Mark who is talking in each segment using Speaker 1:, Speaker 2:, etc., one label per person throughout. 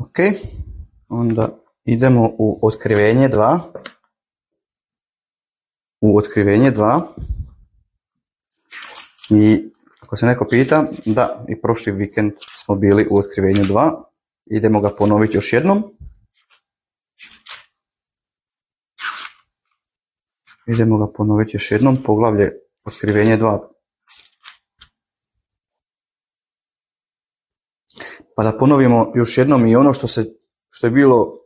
Speaker 1: Ok, onda idemo u Otkrivenje 2. U Otkrivenje 2. I ako se neko pita, da, i prošli vikend smo bili u Otkrivenju 2. Idemo ga ponoviti još jednom. Poglavlje Otkrivenje 2. Pa da ponovimo još jednom i ono što je bilo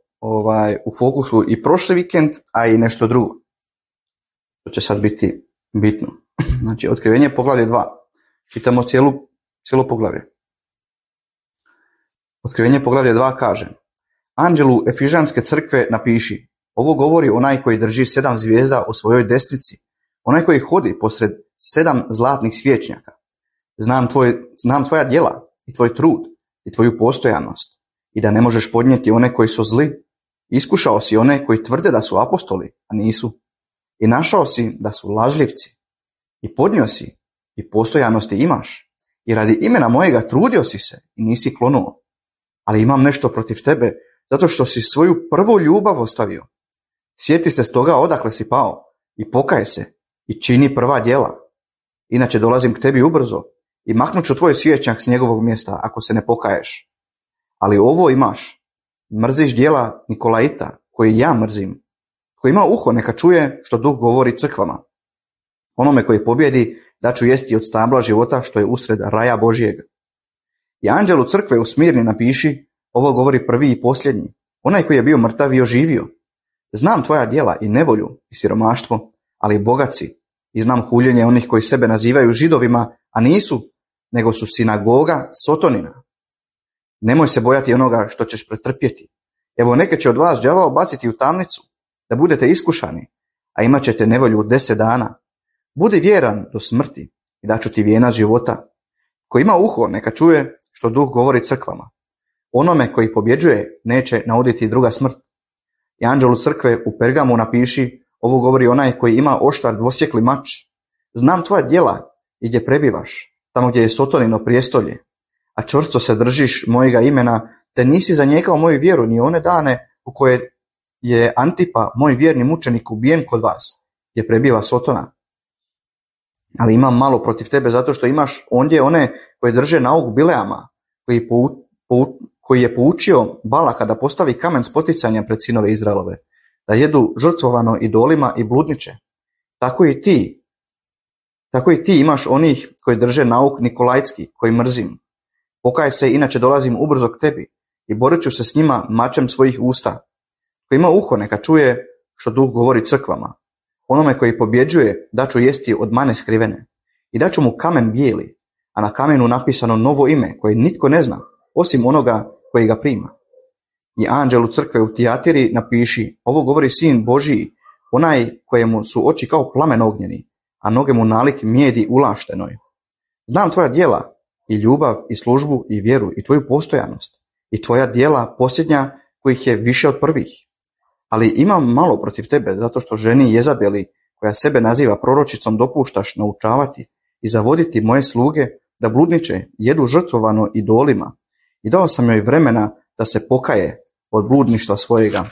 Speaker 1: u fokusu i prošli vikend, a i nešto drugo. To će sad biti bitno. Znači, Otkrivenje poglavlje 2. Čitamo cijelo poglavlje. Otkrivenje poglavlje 2 kaže: Anđelu Efižanske crkve napiši: ovo govori onaj koji drži 7 zvijezda u svojoj desnici, onaj koji hodi posred 7 zlatnih svječnjaka. Znam tvoja djela i tvoj trud i tvoju postojanost i da ne možeš podnijeti one koji su zli. Iskušao si one koji tvrde da su apostoli, a nisu. I našao si da su lažljivci. I podnio si i postojanosti imaš. I radi imena mojega trudio si se i nisi klonuo. Ali imam nešto protiv tebe, zato što si svoju prvu ljubav ostavio. Sjeti se stoga odakle si pao i pokaj se i čini prva djela. Inače dolazim k tebi ubrzo i maknut ću tvoj svjećnjak s njegovog mjesta ako se ne pokaješ. Ali ovo imaš: mrziš djela Nikolaita, koji ja mrzim. Ko ima uho neka čuje što Duh govori crkvama. Onome koji pobjedi daću jesti od stabla života što je usred raja Božjeg. I anđelu crkve u Smirni napiši: ovo govori prvi i posljednji, onaj koji je bio mrtav i oživio. Znam tvoja djela i nevolju i siromaštvo, ali bogat si, i znam huljenje onih koji sebe nazivaju Židovima, a nisu, nego su sinagoga Sotonina. Nemoj se bojati onoga što ćeš pretrpjeti. Evo, neke će od vas đavao baciti u tamnicu, da budete iskušani, a imat ćete nevolju 10 dana. Budi vjeran do smrti i daću ti vijenac života. Ko ima uho neka čuje što Duh govori crkvama. Onome koji pobjeđuje neće nauditi druga smrt. I anđelu crkve u Pergamu napiši: ovo govori onaj koji ima oštar dvosjekli mač. Znam tvoja djela i gdje prebivaš, tamo gdje je Sotonino prijestolje, a čvrsto se držiš mojega imena, te nisi zanijekao moju vjeru ni one dane u koje je Antipa, moj vjerni mučenik, ubijen kod vas, gdje prebiva Sotona. Ali imam malo protiv tebe, zato što imaš ondje one koji drže nauk Bileama, koji je poučio Balaka da postavi kamen spoticanja pred sinove Izraelove, da jedu žrtvovano idolima i bludniče. Tako i ti imaš onih koji drže nauk Nikolajski, koji mrzim. Pokaj se, inače dolazim ubrzo k tebi i borit ću se s njima mačem svojih usta. Ko ima uho neka čuje što Duh govori crkvama. Onome koji pobjeđuje daću jesti od mane skrivene i daću mu kamen bijeli, a na kamenu napisano novo ime koje nitko ne zna, osim onoga koji ga prima. I anđelu crkve u Tijatiri napiši: ovo govori Sin Božiji, onaj kojemu su oči kao plamen ognjeni, a noge mu nalik mijedi ulaštenoj. Znam tvoja djela i ljubav i službu i vjeru i tvoju postojanost i tvoja djela posljednja kojih je više od prvih. Ali imam malo protiv tebe, zato što ženi Jezabeli, koja sebe naziva proročicom, dopuštaš naučavati i zavoditi moje sluge da bludniče, jedu žrtvovano idolima. I dao sam joj vremena da se pokaje od bludništva svojega.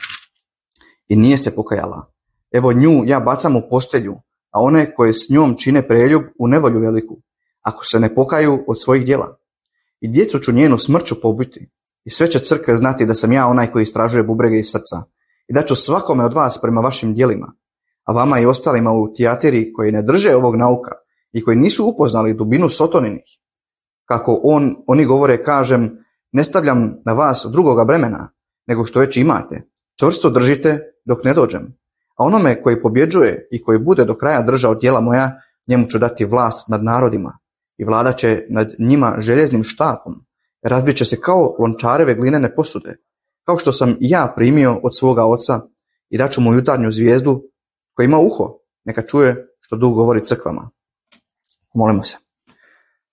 Speaker 1: I nije se pokajala. Evo, nju ja bacam u postelju, a one koje s njom čine preljub u nevolju veliku, ako se ne pokaju od svojih djela. I djecu ću njenu smrću pobiti. I sve će crkve znati da sam ja onaj koji istražuje bubrege iz srca. I daću svakome od vas prema vašim djelima. A vama i ostalima u Tijatiri koji ne drže ovog nauka i koji nisu upoznali dubinu Sotoninih. Kako oni govore, kažem, ne stavljam na vas drugoga bremena, nego što već imate. Čvrsto držite dok ne dođem. A onome koji pobjeđuje i koji bude do kraja držao djela moja, njemu ću dati vlast nad narodima i vladat će nad njima željeznim štapom. Razbit će se kao lončareve glinene posude, kao što sam i ja primio od svoga oca, i daću mu jutarnju zvijezdu. Koji ima uho neka čuje što Duh govori crkvama. Molimo se.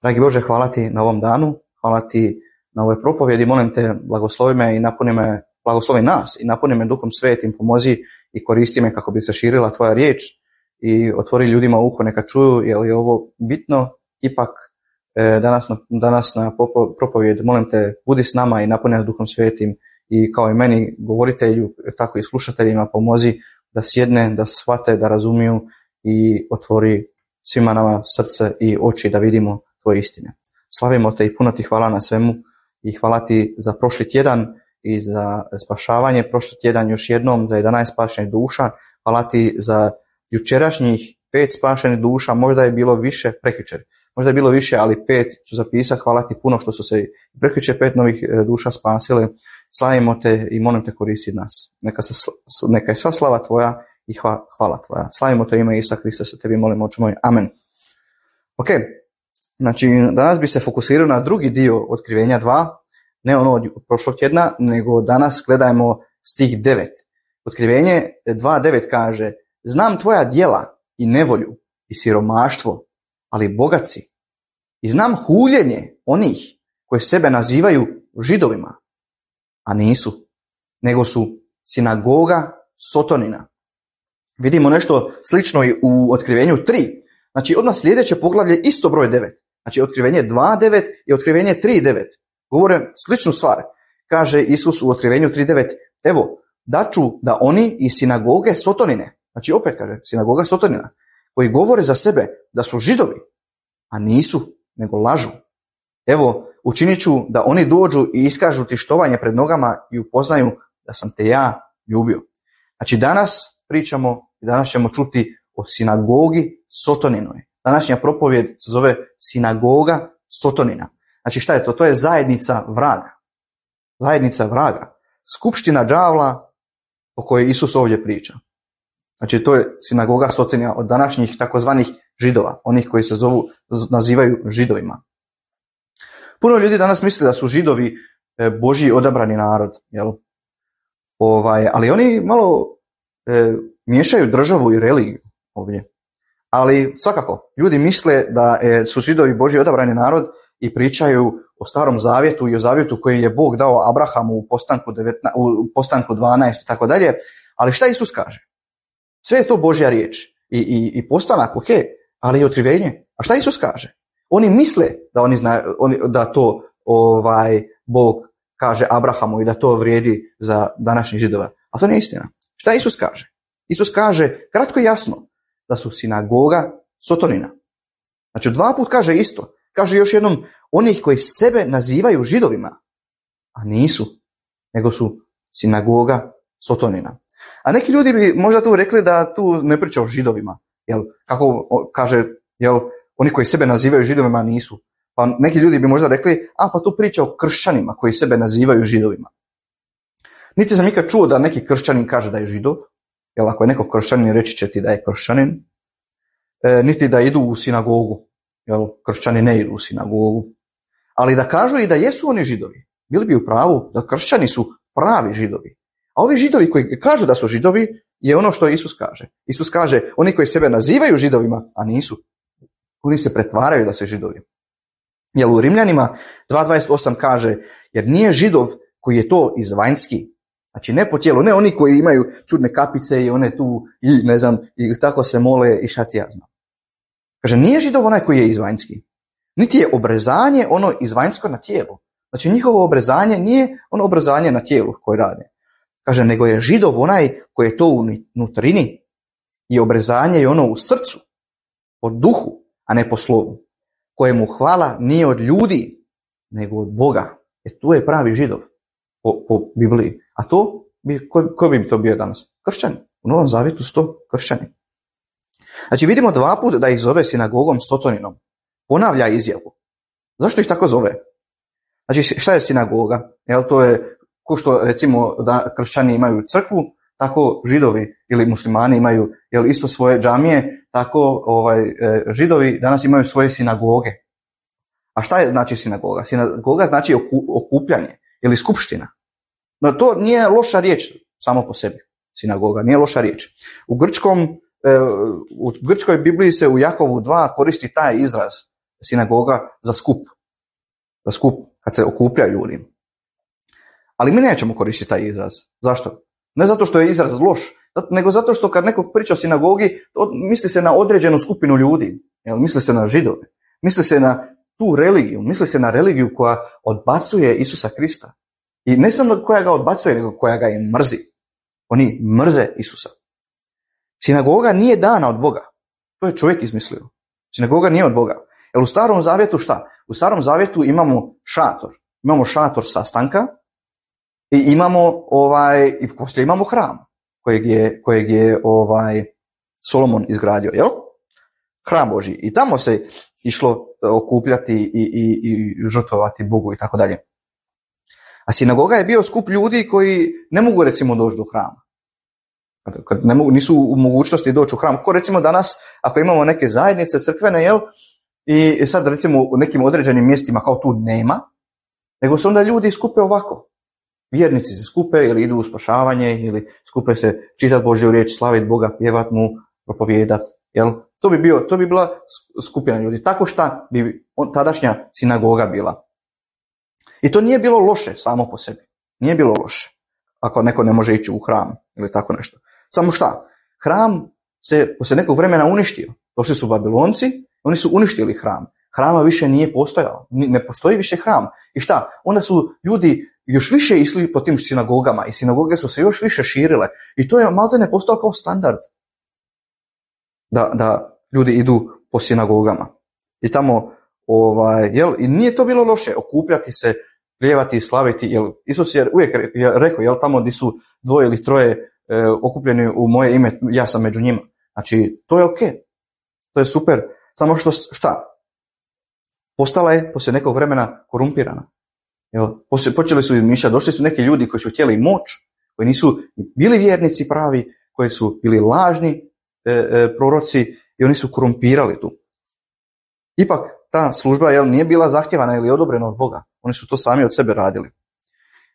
Speaker 1: Dragi Bože, hvala ti na ovom danu, hvala ti na ovoj propovjedi, molim te, blagoslovi me i blagoslovi nas i napuni me Duhom Svetim, pomozi i koristi me kako bi se širila tvoja riječ i otvori ljudima uho neka čuju, jer je ovo bitno. Ipak danas na propovjed, molim te, budi s nama i napuni nas Duhom Svetim i kao i meni govoritelju, tako i slušateljima pomozi da sjedne, da shvate, da razumiju i otvori svima nama srce i oči da vidimo tvoje istine. Slavimo te i puno ti hvala na svemu i hvala ti za prošli tjedan i za spašavanje prošli tjedan još jednom, za 11 spašenih duša. Hvala ti za jučerašnjih 5 spašenih duša, možda je bilo više prekjučer. Možda je bilo više, ali 5 ću zapisati. Hvala ti puno što su se prekjučer 5 novih duša spasile. Slavimo te i molim te koristi nas. Neka je sva slava tvoja i hvala tvoja. Slavimo te ime Isusa Krista, se tebi molimo, oče moj. Amen. Ok, znači danas bi se fokusirao na drugi dio otkrivenja 2, ne ono od prošlog tjedna, nego danas gledajmo stih 9. Otkrivenje 2.9 kaže: znam tvoja djela i nevolju i siromaštvo, ali bogat si. I znam huljenje onih koji sebe nazivaju Židovima, a nisu, nego su sinagoga Sotonina. Vidimo nešto slično i u otkrivenju 3. Znači odmah sljedeće poglavlje isto broj 9. Znači otkrivenje 2.9 i otkrivenje 3.9. Govore sličnu stvar. Kaže Isus u otkrivenju 3.9: evo, daću da oni iz sinagoge Sotonine, znači opet kaže sinagoga Sotonina, koji govore za sebe da su Židovi, a nisu, nego lažu. Evo, učinit ću da oni dođu i iskažu ti štovanje pred nogama i upoznaju da sam te ja ljubio. Znači danas pričamo i danas ćemo čuti o sinagogi Sotoninoj. Današnja propovjed se zove sinagoga Sotonina. Znači šta je to? To je zajednica vraga. Zajednica vraga. Skupština đavla o kojoj Isus ovdje priča. Znači to je sinagoga Sotonina od današnjih takozvanih Židova, onih koji se nazivaju Židovima. Puno ljudi danas misle da su Židovi Božji odabrani narod, jel? Ali oni malo miješaju državu i religiju ovdje. Ali svakako, ljudi misle da su Židovi Božji odabrani narod i pričaju o Starom Zavjetu i o zavjetu koji je Bog dao Abrahamu u postanku 12 i tako dalje. Ali šta Isus kaže? Sve je to Božja riječ i postanak, ok, ali i otkrivenje. A šta Isus kaže? Oni misle da to Bog kaže Abrahamu i da to vrijedi za današnjih Židova. A to nije istina. Šta Isus kaže? Isus kaže kratko i jasno da su sinagoga Sotonina. Znači 2 puta kaže isto. Kaže još jednom onih koji sebe nazivaju Židovima, a nisu, nego su sinagoga Sotonina. A neki ljudi bi možda tu rekli da tu ne priča o Židovima. Kako kaže, oni koji sebe nazivaju Židovima nisu. Pa neki ljudi bi možda rekli, pa tu priča o kršćanima koji sebe nazivaju Židovima. Niti sam nikad čuo da neki kršćanin kaže da je Židov, jer ako je neko kršćanin reći će ti da je kršćanin, niti da idu u sinagogu, jer kršćani ne idu u sinagogu. Ali da kažu i da jesu oni Židovi, bili bi u pravu da kršćani su pravi Židovi. A ovi Židovi koji kažu da su Židovi je ono što Isus kaže. Isus kaže, oni koji sebe nazivaju Židovima, a nisu, oni se pretvaraju da su Židovi. Jer u Rimljanima 2.28 kaže, jer nije Židov koji je to izvanjski, znači ne po tijelu, ne oni koji imaju čudne kapice i one tu i ne znam, i tako se mole i šta ti ja znam. Kaže, nije Židov onaj koji je izvanjski, niti je obrezanje ono izvanjsko na tijelu. Znači njihovo obrezanje nije ono obrezanje na tijelu koje rade. Kaže, nego je Židov onaj koji je to u nutrini i obrezanje je ono u srcu, po duhu, a ne po slovu, kojemu hvala nije od ljudi, nego od Boga. Tu je pravi Židov po Bibliji. A to, ko bi to bio danas? Kršćani. U Novom Zavjetu su to kršćani. Znači vidimo 2 puta da ih zove sinagogom Sotoninom. Ponavlja izjavu. Zašto ih tako zove? Znači šta je sinagoga? To je ko što recimo da kršćani imaju crkvu, tako Židovi ili muslimani imaju isto svoje džamije, tako Židovi danas imaju svoje sinagoge. A šta je znači sinagoga? Sinagoga znači okupljanje ili skupština. No to nije loša riječ samo po sebi. Sinagoga nije loša riječ. U grčkoj Bibliji se u Jakovu 2 koristi taj izraz sinagoga za skup. Za skup, kad se okupljaju ljudi. Ali mi nećemo koristiti taj izraz. Zašto? Ne zato što je izraz loš, nego zato što kad neko priča o sinagogi, to misli se na određenu skupinu ljudi. Misli se na Židove. Misli se na tu religiju. Misli se na religiju koja odbacuje Isusa Krista. I ne samo koja ga odbacuje, nego koja ga i mrzi. Oni mrze Isusa. Sinagoga nije dana od Boga. To je čovjek izmislio. Sinagoga nije od Boga. Jer u Starom zavjetu šta? U Starom zavjetu imamo šator. Imamo šator sastanka i i poslije imamo hram kojeg je Solomon izgradio, jel? Hram Božji. I tamo se išlo okupljati i žrtvovati Bogu i tako dalje. A sinagoga je bio skup ljudi koji ne mogu recimo doći do hrama. Kad nisu u mogućnosti doći u hram. Ko recimo danas, ako imamo neke zajednice crkvene, jel? I sad recimo u nekim određenim mjestima kao tu nema, nego se onda ljudi skupe ovako. Vjernici se skupe ili idu u spašavanje ili skupe se čitati Božju riječ, slaviti Boga, pjevat mu, propovijedati. Jel? To bi bila skupina ljudi. Tako šta bi tadašnja sinagoga bila. I to nije bilo loše samo po sebi. Nije bilo loše. Ako neko ne može ići u hram ili tako nešto. Samo šta? Hram se poslije nekog vremena uništio. Došli su Babilonci, oni su uništili hram. Hrama više nije postojao. Ne postoji više hram. I šta? Onda su ljudi još više išli po tim sinagogama i sinagoge su se još više širile. I to je maltene postao kao standard. Da ljudi idu po sinagogama. I tamo, i nije to bilo loše okupljati se, pljevati i slaviti. Jel, Isus je uvijek rekao, jel, tamo gdje su 2 ili 3 okupljeni u moje ime, ja sam među njima. Znači, to je ok. To je super. Samo šta? Postala je poslije nekog vremena korumpirana. Jel, počeli su izmišljati, došli su neki ljudi koji su htjeli moć, koji nisu bili vjernici pravi, koji su bili lažni proroci i oni su korumpirali tu. Ipak ta služba nije bila zahtjevana ili odobrena od Boga. Oni su to sami od sebe radili.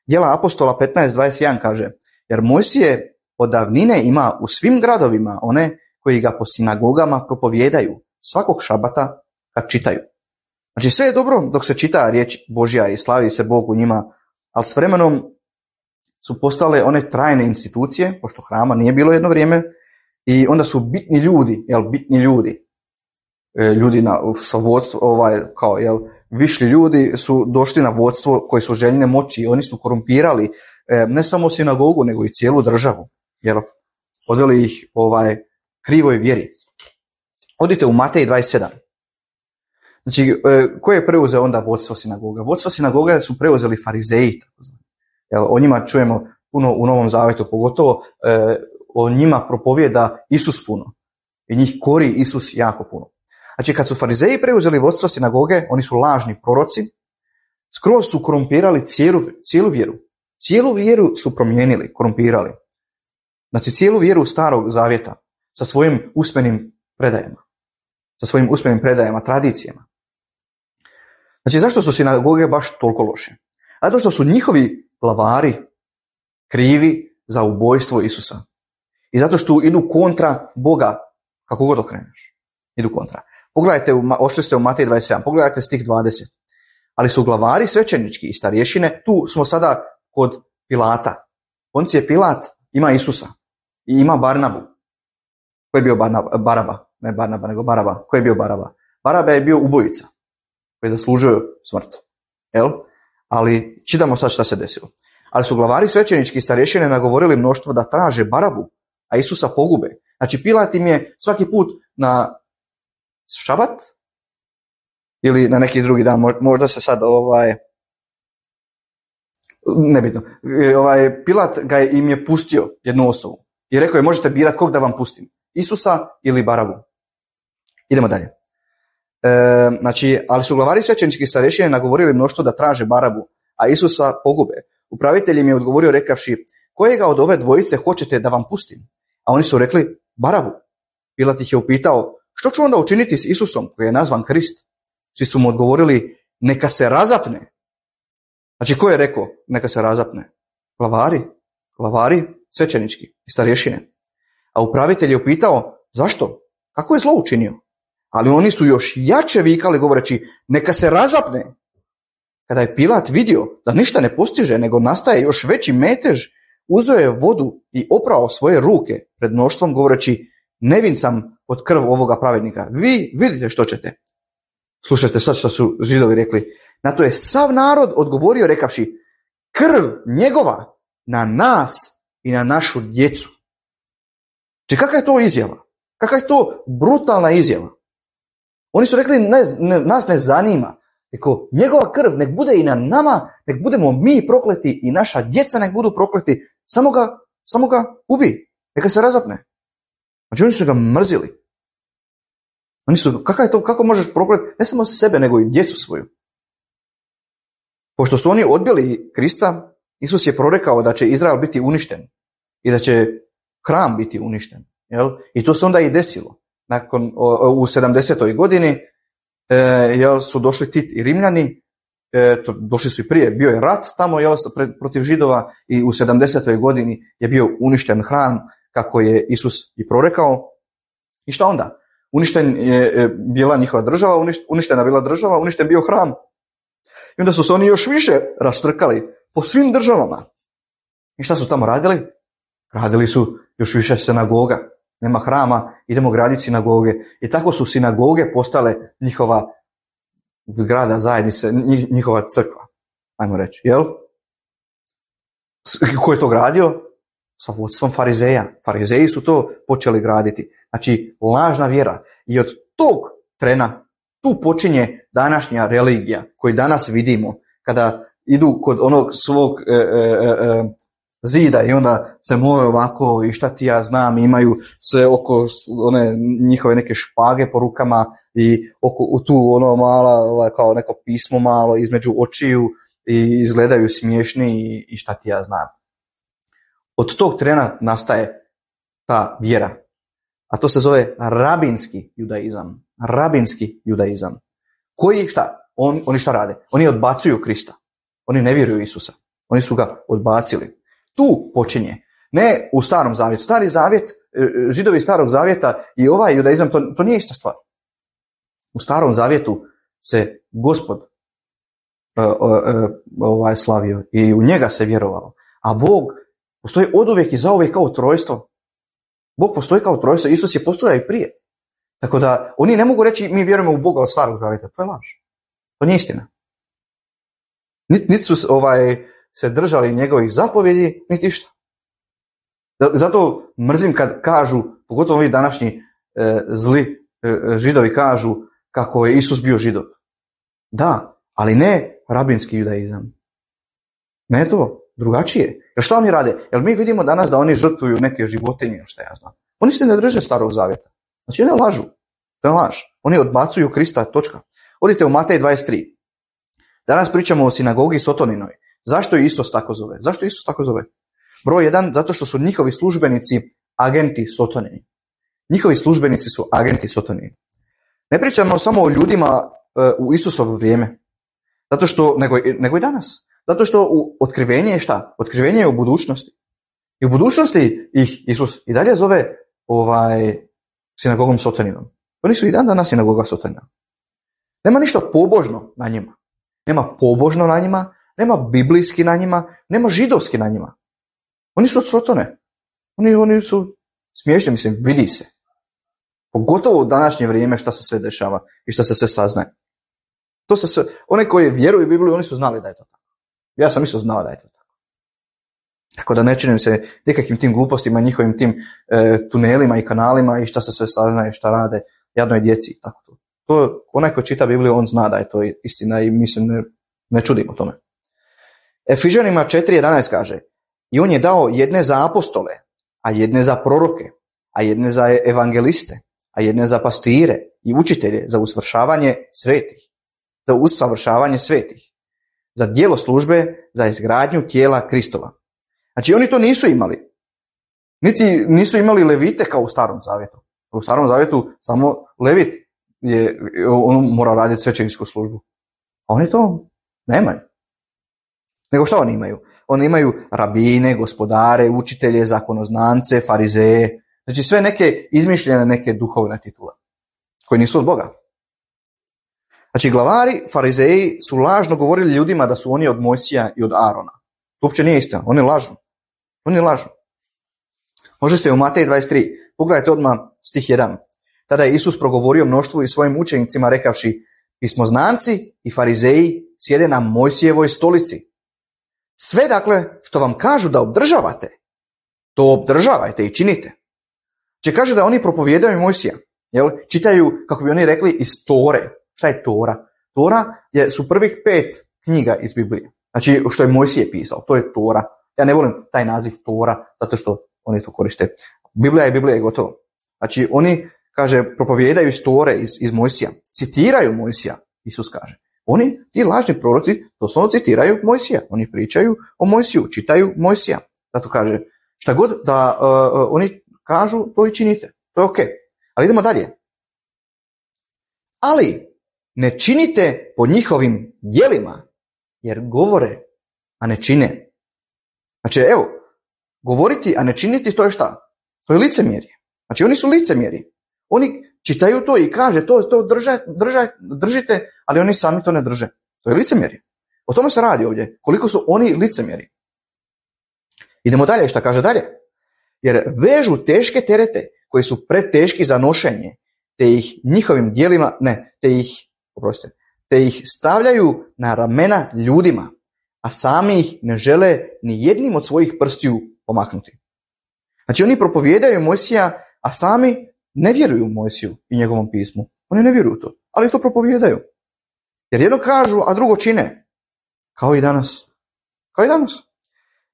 Speaker 1: Djela apostola 15:21 kaže: jer Mojsije od davnine ima u svim gradovima one koji ga po sinagogama propovijedaju svakog šabata kad čitaju. Znači sve je dobro dok se čita riječ Božja i slavi se Bog u njima, ali s vremenom su postale one trajne institucije, pošto hrama nije bilo jedno vrijeme, i onda su bitni ljudi sa vodstvo, višli ljudi su došli na vodstvo koji su željne moći i oni su korumpirali ne samo sinagogu, nego i cijelu državu, jer odveli ih krivoj vjeri. Odite u Matej 27. Znači, ko je preuzeo onda vodstvo sinagoga? Vodstvo sinagoga su preuzeli farizeji. O njima čujemo puno u Novom Zavjetu, pogotovo o njima propovijeda Isus puno. I njih kori Isus jako puno. Znači, kad su farizeji preuzeli vodstvo sinagoge, oni su lažni proroci, skroz su korumpirali cijelu vjeru. Cijelu vjeru su promijenili, korumpirali. Znači, cijelu vjeru Starog Zavjeta sa svojim usmenim predajama, tradicijama. Znači, zašto su sinagoge baš toliko loše? Zato što su njihovi glavari krivi za ubojstvo Isusa. I zato što idu kontra Boga, kako god okreneš. Idu kontra. Pogledajte, ošli ste u Matej 27, pogledajte stih 20. Ali su glavari svećenički i starješine, tu smo sada kod Pilata. Poncije Pilat ima Isusa i ima Barnabu. Ko je bio Baraba? Ne Barnaba, nego Baraba. Ko je bio Baraba? Baraba je bio ubojica koji je zaslužio smrt. Jel? Ali čitamo sad šta se desilo. Ali su glavari svećenički i starješine nagovorili mnoštvo da traže Barabu, a Isusa pogube. Znači, Pilat im je svaki put na šabat ili na neki drugi dan, možda se sad nebitno. Pilat im je pustio jednu osobu i rekao je: možete birati kog da vam pustim, Isusa ili Barabu. Idemo dalje. Znači, ali su glavari svećenički starješine nagovorili mnoštvo da traže Barabu, a Isusa pogube. Upravitelj im je odgovorio rekavši: kojega od ove dvojice hoćete da vam pustim? A oni su rekli: Barabu. Pilat ih je upitao: što ću onda učiniti s Isusom koji je nazvan Krist? Svi su mu odgovorili: neka se razapne. Znači, ko je rekao neka se razapne? Glavari svećenički i starješine. A upravitelj je upitao: zašto? Kako je zlo učinio? Ali oni su još jače vikali govoreći: neka se razapne. Kada je Pilat vidio da ništa ne postiže, nego nastaje još veći metež, uzeo je vodu i oprao svoje ruke pred mnoštvom govoreći: nevin sam od krv ovoga pravednika. Vi vidite što ćete. Slušajte sad što su Židovi rekli. Na to je sav narod odgovorio rekavši: krv njegova na nas i na našu djecu. Znači, kakva je to izjava? Kakva je to brutalna izjava? Oni su rekli, nas ne zanima. Eko, njegova krv nek bude i na nama, nek budemo mi prokleti i naša djeca nek budu prokleti. Samo ga ubi. Neka se razapne. Znači, oni su ga mrzili. Kako možeš prokleti ne samo sebe, nego i djecu svoju? Pošto su oni odbili Krista, Isus je prorekao da će Izrael biti uništen i da će hram biti uništen. Jel? I to se onda i desilo. U 70. godini su došli Tit i Rimljani, došli su i prije, bio je rat tamo protiv Židova i u 70. godini je bio uništen hram kako je Isus i prorekao. I šta onda? Uništen je bila njihova država, uništena bila država, uništen bio hram. I onda su se oni još više raštrkali po svim državama. I šta su tamo radili? Radili su još više sinagoga. Nema hrama, idemo graditi sinagoge. I tako su sinagoge postale njihova zgrada zajednice, njihova crkva. Ajmo reći, jel? Ko je to gradio? Sa vodstvom farizeja. Farizeji su to počeli graditi. Znači, lažna vjera. I od tog trena tu počinje današnja religija koju danas vidimo kada idu kod onog svog zida i onda se mole ovako i šta ti ja znam, imaju sve oko one njihove neke špage po rukama i oko tu ono mala kao neko pismo malo između očiju i izgledaju smiješni i šta ti ja znam. Od tog trena nastaje ta vjera. A to se zove rabinski judaizam. Rabinski judaizam. Koji šta? Oni šta rade? Oni odbacuju Krista. Oni ne vjeruju Isusa. Oni su ga odbacili. Tu počinje. Ne u Starom zavjetu. Stari zavjet, Židovi Starog zavjeta i ovaj judaizam, to nije ista stvar. U Starom zavjetu se Gospod slavio i u njega se vjerovalo. A Bog postoji oduvijek i zauvijek kao trojstvo. Bog postoji kao trojstvo. Isus je postojao i prije. Tako da oni ne mogu reći mi vjerujemo u Boga od Starog zavjeta. To je laž. To nije istina. Niti su se držali njegovih zapovjedi, niti išta. Zato mrzim kad kažu, pogotovo ovi današnji zli Židovi kažu kako je Isus bio Židov. Da, ali ne rabinski judaizam. Ne to, drugačije. Jer šta oni rade? Jer mi vidimo danas da oni žrtvuju neke životinje, šta ja znam. Oni se ne drže Starog zavjeta. Znači ne lažu. To je laž. Oni odbacuju Krista, točka. Odite u Matej 23. Danas pričamo o sinagogi Sotoninoj. Zašto je Isus tako zove? Zašto Isus tako zove? Broj 1, zato što su njihovi službenici agenti Sotonini. Njihovi službenici su agenti Sotonini. Ne pričamo samo o ljudima u Isusovo vrijeme. Zato što, nego i danas. Zato što otkrivenje je šta? Otkrivenje je u budućnosti. I u budućnosti ih Isus i dalje zove sinagogom Sotoninom. Oni su i dan danas sinagoga Sotonina. Nema ništa pobožno na njima. Nema pobožno na njima, nema biblijski na njima, nema židovski na njima. Oni su od Sotone. Oni su smiješni, mislim, vidi se. Pogotovo u današnje vrijeme šta se sve dešava i šta se sve saznaje. To se sve, one koji vjeruju u Bibliju, oni su znali da je to tako. Ja sam isto znao da je to tako. Tako da ne činim se nikakvim tim glupostima, njihovim tim tunelima i kanalima i šta se sve saznaje, šta rade jadnoj djeci i tako to. To onaj ko čita Bibliju, on zna da je to istina i mi se ne čudimo tome. Efežanima 4.11 kaže: i on je dao jedne za apostole, a jedne za proroke, a jedne za evangeliste, a jedne za pastire i učitelje za usavršavanje svetih, za djelo službe, za izgradnju tijela Kristova. Znači oni to nisu imali. Niti nisu imali levite kao u Starom zavjetu. U Starom zavjetu samo levit on mora raditi svećeničku službu. A oni to nemaju. Nego šta oni imaju? Oni imaju rabine, gospodare, učitelje, zakonoznance, farizeje. Znači sve neke izmišljene neke duhovne titule koji nisu od Boga. Znači glavari, farizeji su lažno govorili ljudima da su oni od Mojsija i od Arona. To uopće nije istina. Oni lažu. Oni lažu. Možete u Matej 23. Pogledajte odmah stih 1. Tada je Isus progovorio mnoštvu i svojim učenicima rekavši: pismoznanci i farizeji sjede na Mojsijevoj stolici. Sve dakle što vam kažu da obdržavate, to obdržavajte i činite. Če kaže da oni propovijedaju Mojsija, jel? Čitaju, kako bi oni rekli, iz Tore. Šta je Tora? Tora su prvih 5 knjiga iz Biblije. Znači što je Mojsije pisao, to je Tora. Ja ne volim taj naziv Tora, zato što oni to koriste. Biblija je gotovo. Znači oni, kaže, propovijedaju iz Tore, iz Mojsija. Citiraju Mojsija, Isus kaže. Oni, ti lažni proroci, doslovno citiraju Mojsija. Oni pričaju o Mojsiju, čitaju Mojsija. Zato kaže, šta god da oni kažu, to i činite. To je ok. Ali idemo dalje. Ali ne činite po njihovim djelima, jer govore, a ne čine. Znači, evo, govoriti, a ne činiti, to je šta? To je licemjerje. Znači, oni su licemjeri. Oni čitaju to i kaže, to držite, ali oni sami to ne drže. To je licemjerje. O tome se radi ovdje. Koliko su oni licemjeri. Idemo dalje, šta kaže dalje? Jer vežu teške terete koji su preteški za nošenje, te ih njihovim djelima, te ih stavljaju na ramena ljudima, a sami ih ne žele ni jednim od svojih prstiju pomaknuti. Znači oni propovijedaju Mojsija, a sami ne vjeruju Mojsiju i njegovom pismu. Oni ne vjeruju to, ali to propovijedaju. Jer jedno kažu, a drugo čine. Kao i danas.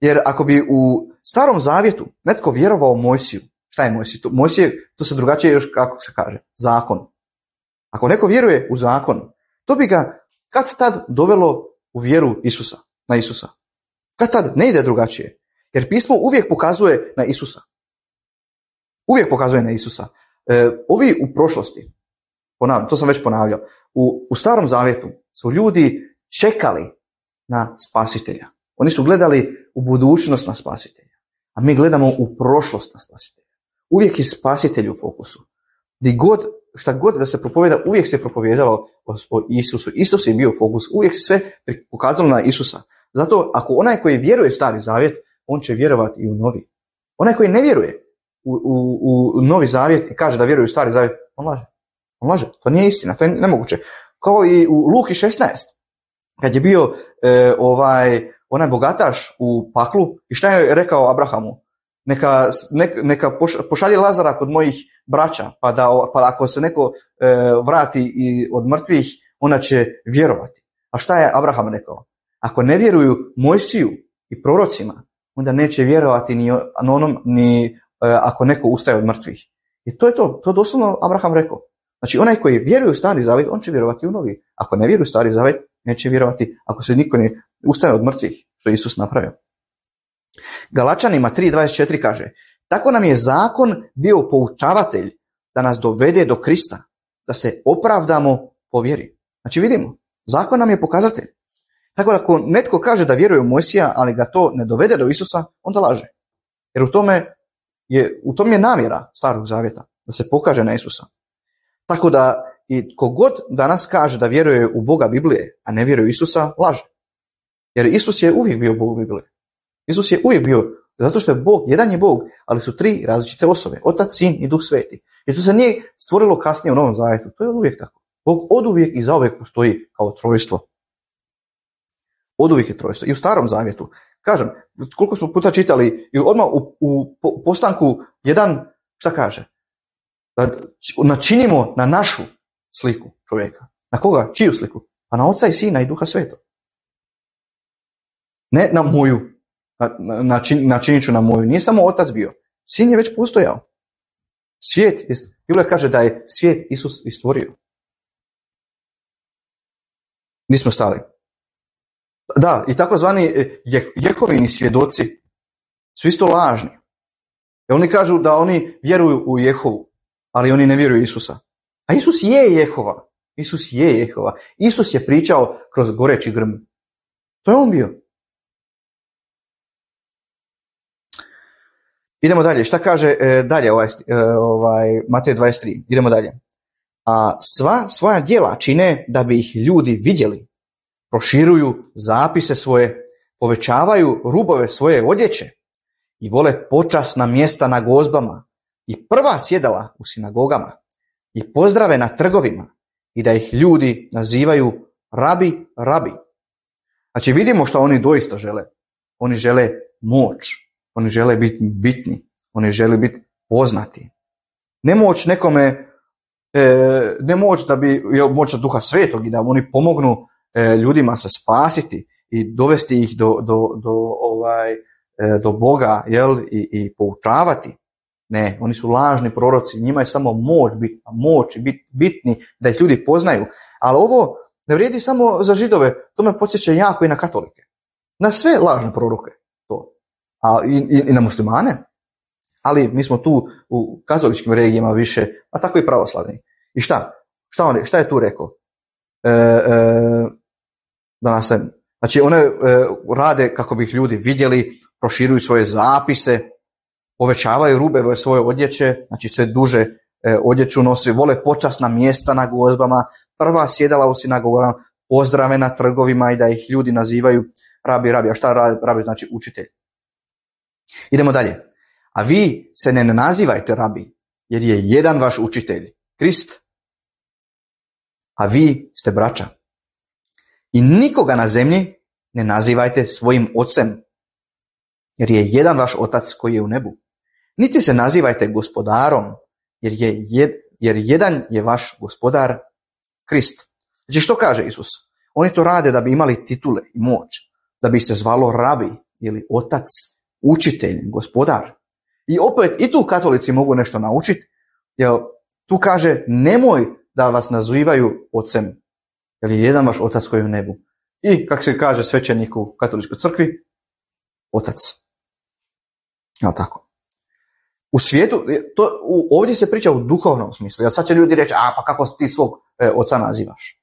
Speaker 1: Jer ako bi u Starom Zavjetu netko vjerovao Mojsiju, šta je Mojsij? Mojsije, to se drugačije još, kako se kaže, zakon. Ako neko vjeruje u zakon, to bi ga kad tad dovelo u vjeru na Isusa. Kad tad ne ide drugačije. Jer pismo uvijek pokazuje na Isusa. Ovi u prošlosti, ponavljam, to sam već ponavljao, u Starom Zavjetu su ljudi čekali na spasitelja. Oni su gledali u budućnost na spasitelja. A mi gledamo u prošlost na spasitelja. Uvijek je spasitelj u fokusu. Šta god da se propovjeda, uvijek se propovijedalo o Isusu. Isus je bio fokus. Uvijek se sve pokazalo na Isusa. Zato ako onaj koji vjeruje u Stari Zavjet, on će vjerovati i u Novi. Onaj koji ne vjeruje u Novi Zavjet i kaže da vjeruje u Stari Zavjet, on laže. To nije istina, to je nemoguće. Kao i u Luki 16. Kad je bio onaj bogataš u paklu i šta je rekao Abrahamu? Neka pošalje Lazara kod mojih braća, pa ako se neko vrati od mrtvih, ona će vjerovati. A šta je Abraham rekao? Ako ne vjeruju Mojsiju i prorocima, onda neće vjerovati ni ako neko ustaje od mrtvih. I to je to. To doslovno Abraham rekao. Znači onaj koji vjeruje u Stari Zavjet, on će vjerovati u Novi. Ako ne vjeruje u Stari Zavjet, neće vjerovati ako se niko ne ustane od mrtvih, što je Isus napravio. Galačanima 3.24 kaže: tako nam je zakon bio poučavatelj da nas dovede do Krista, da se opravdamo po vjeri. Znači vidimo, zakon nam je pokazatelj. Tako da ako netko kaže da vjeruje u Mojsija, ali ga to ne dovede do Isusa, onda laže. Jer u tom je namjera Starog Zavjeta, da se pokaže na Isusa. Tako da i kogod danas kaže da vjeruje u Boga Biblije, a ne vjeruje u Isusa, laže. Jer Isus je uvijek bio Bog Biblije. Isus je uvijek bio, zato što je Bog, jedan je Bog, ali su 3 različite osobe, Otac, Sin i Duh Sveti. Jer to se nije stvorilo kasnije u Novom Zavjetu, to je uvijek tako. Bog oduvijek i zauvijek postoji kao trojstvo. Oduvijek je trojstvo. I u Starom Zavjetu, kažem, koliko smo puta čitali, i odmah u postanku 1, šta kaže? Da načinimo na našu sliku čovjeka. Na koga? Čiju sliku? Pa na Oca i Sina i Duha Svetog. Ne na moju. Načinit ću na moju. Nije samo Otac bio. Sin je već postojao. Biblia kaže da je svijet Isus i stvorio. Nismo stali. Da, i takozvani Jehovini svjedoci su isto lažni. I oni kažu da oni vjeruju u Jehovu, ali oni ne vjeruju u Isusa. A Isus je Jehova. Isus je pričao kroz goreći grm. To je on bio. Idemo dalje. Šta kaže dalje Matej 23? Idemo dalje. A sva svoja djela čine da bi ih ljudi vidjeli. Proširuju zapise svoje, povećavaju rubove svoje odjeće i vole počasna mjesta na gozbama i prva sjedala u sinagogama i pozdrave na trgovima i da ih ljudi nazivaju rabi. Znači vidimo što oni doista žele. oni žele moć, oni žele biti bitni, oni žele biti poznati. Ne moć nekome, ne moć da bi, moć Duha Svetog i da oni pomognu ljudima se spasiti i dovesti ih do Boga, jel, i poučavati. Ne, oni su lažni proroci, njima je samo moć i biti bitni da ih ljudi poznaju. Ali ovo ne vrijedi samo za Židove, to me podsjeća jako i na katolike. Na sve lažne proroke, to. I na muslimane. Ali mi smo tu u katoličkim regijama više, a tako i pravoslavni. I šta je tu rekao? Znači one rade kako bi ih ljudi vidjeli, proširuju svoje zapise, povećavaju rubeve svoje odjeće, znači sve duže odjeću nosi, vole počasna mjesta na gozbama, prva sjedala u sinagogama, pozdrave na trgovima i da ih ljudi nazivaju rabi. A šta rabi znači učitelj? Idemo dalje. A vi se ne nazivajte rabi, jer je jedan vaš učitelj, Krist, a vi ste braća. I nikoga na zemlji ne nazivajte svojim ocem, jer je jedan vaš otac koji je u nebu. Niti se nazivajte gospodarom, jer jedan je vaš gospodar, Krist. Znači što kaže Isus? Oni to rade da bi imali titule i moć, da bi se zvalo rabi ili otac, učitelj, gospodar. I opet i tu katolici mogu nešto naučiti, jer tu kaže nemoj da vas nazivaju ocem, jer je jedan vaš otac koji je u nebu. I kako se kaže svećenik u katoličkoj crkvi, otac. Evo tako. U svijetu, ovdje se priča u duhovnom smislu, jer sad će ljudi reći, pa kako ti svog oca nazivaš?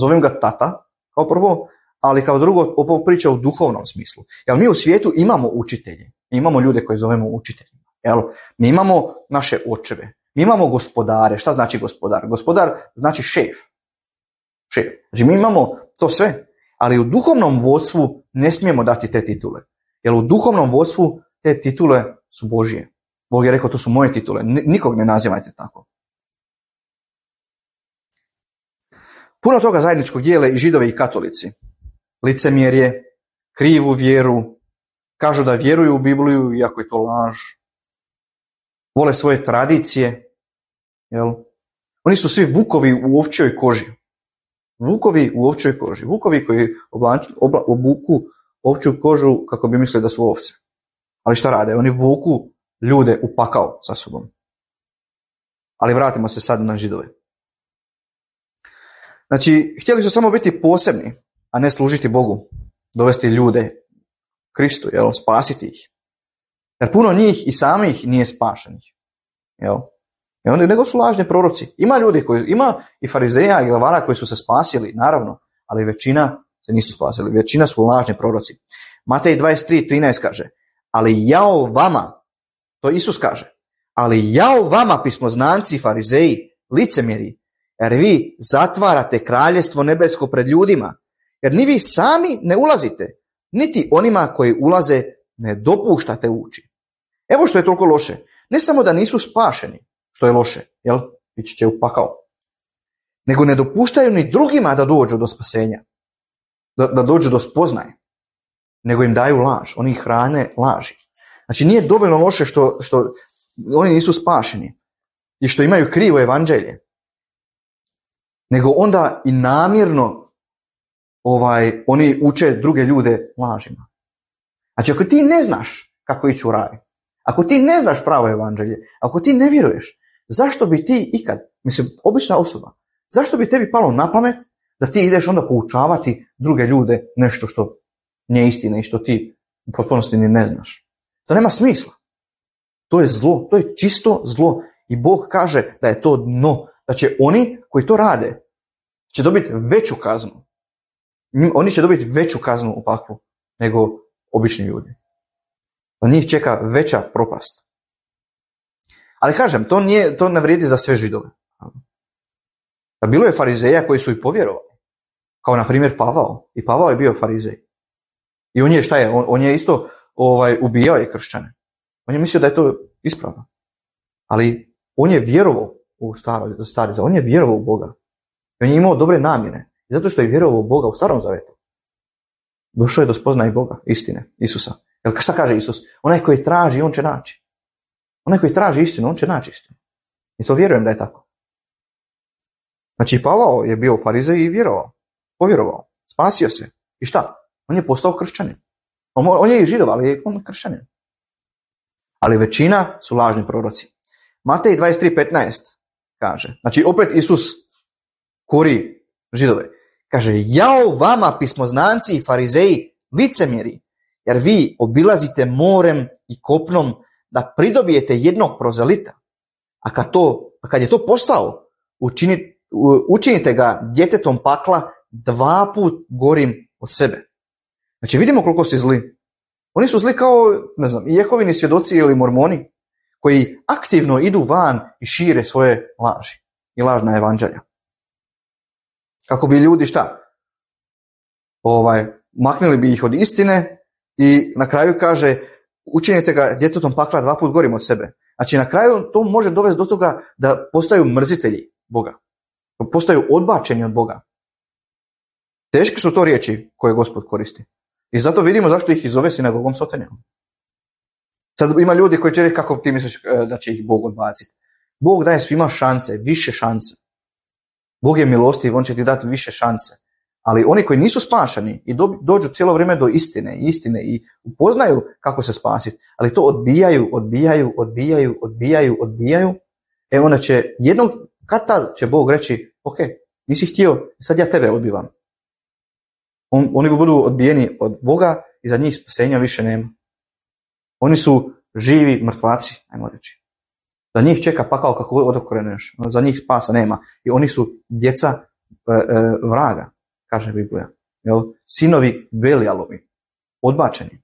Speaker 1: Zovem ga tata, kao prvo, ali kao drugo, ovo priča u duhovnom smislu. Jer mi u svijetu imamo učitelje, imamo ljude koje zovemo učiteljima. Jel? Mi imamo naše očeve, mi imamo gospodare. Šta znači gospodar? Gospodar znači šef. Znači mi imamo to sve, ali u duhovnom vodstvu ne smijemo dati te titule. Jer u duhovnom vodstvu te titule su Božje. Bog je rekao, to su moje titule, nikog ne nazivajte tako. Puno toga zajedničkog dijele i Židovi i katolici. Licemjerje, krivu vjeru, kažu da vjeruju u Bibliju iako je to laž. Vole svoje tradicije. Jel? Oni su svi vukovi u ovčjoj koži. Vukovi u ovčjoj koži. Vukovi koji obuku ovčju kožu kako bi mislili da su ovce. Ali šta rade? Oni vuku ljude u pakao sa sobom. Ali vratimo se sad na Židove. Znači, htjeli su samo biti posebni, a ne služiti Bogu. Dovesti ljude Kristu, jel? Spasiti ih. Jer puno njih i samih nije spašenih. Jel? I onda nego su lažni proroci. Ima i farizeja i glavara koji su se spasili, naravno, ali većina se nisu spasili. Većina su lažni proroci. Matej 23:13 kaže, ali jao vama, to Isus kaže, ali jao vama pismoznanci i farizeji, licemjeri, jer vi zatvarate kraljestvo nebesko pred ljudima, jer ni vi sami ne ulazite, niti onima koji ulaze ne dopuštate ući. Evo što je toliko loše. Ne samo da nisu spašeni, što je loše, jel? Ići će u pakao. Nego ne dopuštaju ni drugima da dođu do spasenja, da dođu do spoznaje, nego im daju laž, oni ih hrane laži. Znači nije dovoljno loše što oni nisu spašeni i što imaju krivo evanđelje, nego onda i namjerno oni uče druge ljude lažima. Znači ako ti ne znaš kako ići u raj, ako ti ne znaš pravo evanđelje, ako ti ne vjeruješ, zašto bi ti ikad, obična osoba, zašto bi tebi palo na pamet da ti ideš onda poučavati druge ljude nešto što nije istina i što ti u potpunosti ni ne znaš? To nema smisla. To je zlo, to je čisto zlo i Bog kaže da je to dno, da će oni koji to rade će dobiti veću kaznu. Oni će dobiti veću kaznu u paklu nego obični ljudi. Pa njih čeka veća propast. Ali kažem, to ne vrijedi za sve Židove. Bilo je farizeja koji su i povjerovali. Kao na primjer Pavao. I Pavao je bio farizej. I on je šta je? On je isto ubijao je kršćane. On je mislio da je to ispravno. Ali on je vjerovao u stari zavjet. On je vjerovao u Boga. I on je imao dobre namjere. I zato što je vjerovao u Boga u starom zavjetu. Došao je do spoznaje Boga, istine, Isusa. Jer šta kaže Isus? Onaj koji traži, on će naći. Onaj koji traži istinu, on će naći istinu. I to vjerujem da je tako. Znači, Pavao je bio u Farizej i povjerovao, spasio se. I šta? On je postao kršćanin. On je i Židov, ali je on kršćanin. Ali većina su lažni proroci. Matej 23:15 kaže, znači opet Isus kori Židove. Kaže, jao vama pismoznanci i farizeji, licemjeri, jer vi obilazite morem i kopnom da pridobijete jednog prozelita. A kad je to postao, učinite ga djetetom pakla 2 puta gorim od sebe. Znači vidimo koliko su zli. Oni su zli kao, ne znam, Jehovini svjedoci ili mormoni, koji aktivno idu van i šire svoje laži i lažna evanđelja. Kako bi ljudi šta? Maknuli bi ih od istine i na kraju kaže, učinite ga djetetom pakla 2 puta gorim od sebe. Znači na kraju to može dovesti do toga da postaju mrzitelji Boga. Postaju odbačeni od Boga. Teške su to riječi koje Gospod koristi. I zato vidimo zašto ih i zove sinagogom Sotonijom. Sad ima ljudi koji će reći kako ti misliš da će ih Bog odbaciti. Bog daje svima šanse, više šanse. Bog je milostiv, on će ti dati više šanse. Ali oni koji nisu spašeni i dođu cijelo vrijeme do istine i upoznaju kako se spasiti, ali to odbijaju, onda će jednog, kad tad će Bog reći, ok, nisi htio, sad ja tebe odbivam. Oni budu odbijeni od Boga i za njih spasenja više nema. Oni su živi mrtvaci, ajmo reći. Za njih čeka pakao kako odokreneš, za njih spasa nema. I oni su djeca vraga, kaže Biblija. Jel? Sinovi Belijalovi, odbačeni.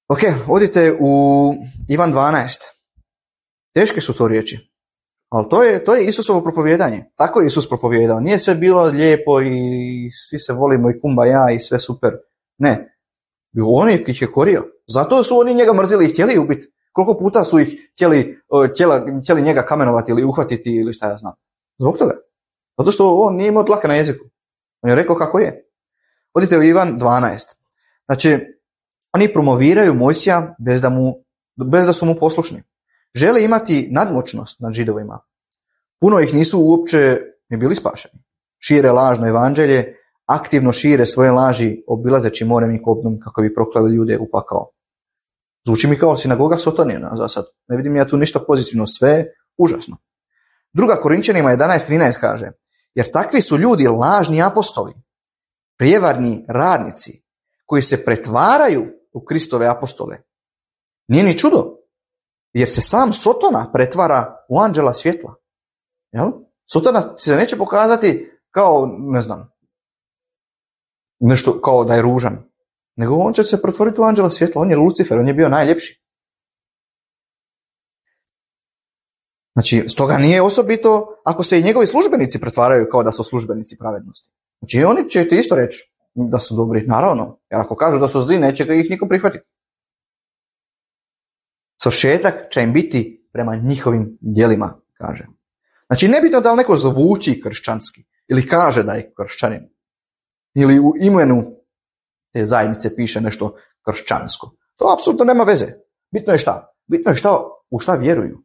Speaker 1: Ok, odite u Ivan 12. Teške su to riječi. Ali to je Isusovo propovijedanje. Tako je Isus propovijedao. Nije sve bilo lijepo i svi se volimo i kumbaja i sve super. Ne. On ih je korio. Zato su oni njega mrzili i htjeli ubiti. Koliko puta su ih htjeli njega kamenovati ili uhvatiti ili šta ja znam. Zbog toga. Zato što on nije imao dlaka na jeziku. On je rekao kako je. Odite u Ivan 12. Znači, oni promoviraju Mojsija bez da su mu poslušni. Žele imati nadmoćnost nad Židovima. Puno ih nisu uopće ni bili spašeni. Šire lažno evanđelje, aktivno šire svoje laži obilazeći morem i kopnom kako bi proklali ljude u pakao. Zvuči mi kao sinagoga Sotonijena za sad. Ne vidim ja tu ništa pozitivno, sve užasno. 2. Korinčanima 11:13 kaže, jer takvi su ljudi lažni apostoli, prijevarni radnici, koji se pretvaraju u Kristove apostole. Nije ni čudo, jer se sam Sotona pretvara u anđela svjetla. Jel? Sotona se neće pokazati kao, ne znam, nešto kao da je ružan, nego on će se pretvoriti u anđela svjetla. On je Lucifer, on je bio najljepši. Znači, stoga nije osobito ako se i njegovi službenici pretvaraju kao da su službenici pravednosti. Znači, oni će ti isto reći da su dobri, naravno. Jer ako kažu da su zli, neće ih niko prihvatiti. Svršetak će im biti prema njihovim djelima, kaže. Znači, nebitno da li neko zvuči kršćanski ili kaže da je kršćanin ili u imenu te zajednice piše nešto kršćansko. To apsolutno nema veze. Bitno je šta? Bitno je u šta vjeruju.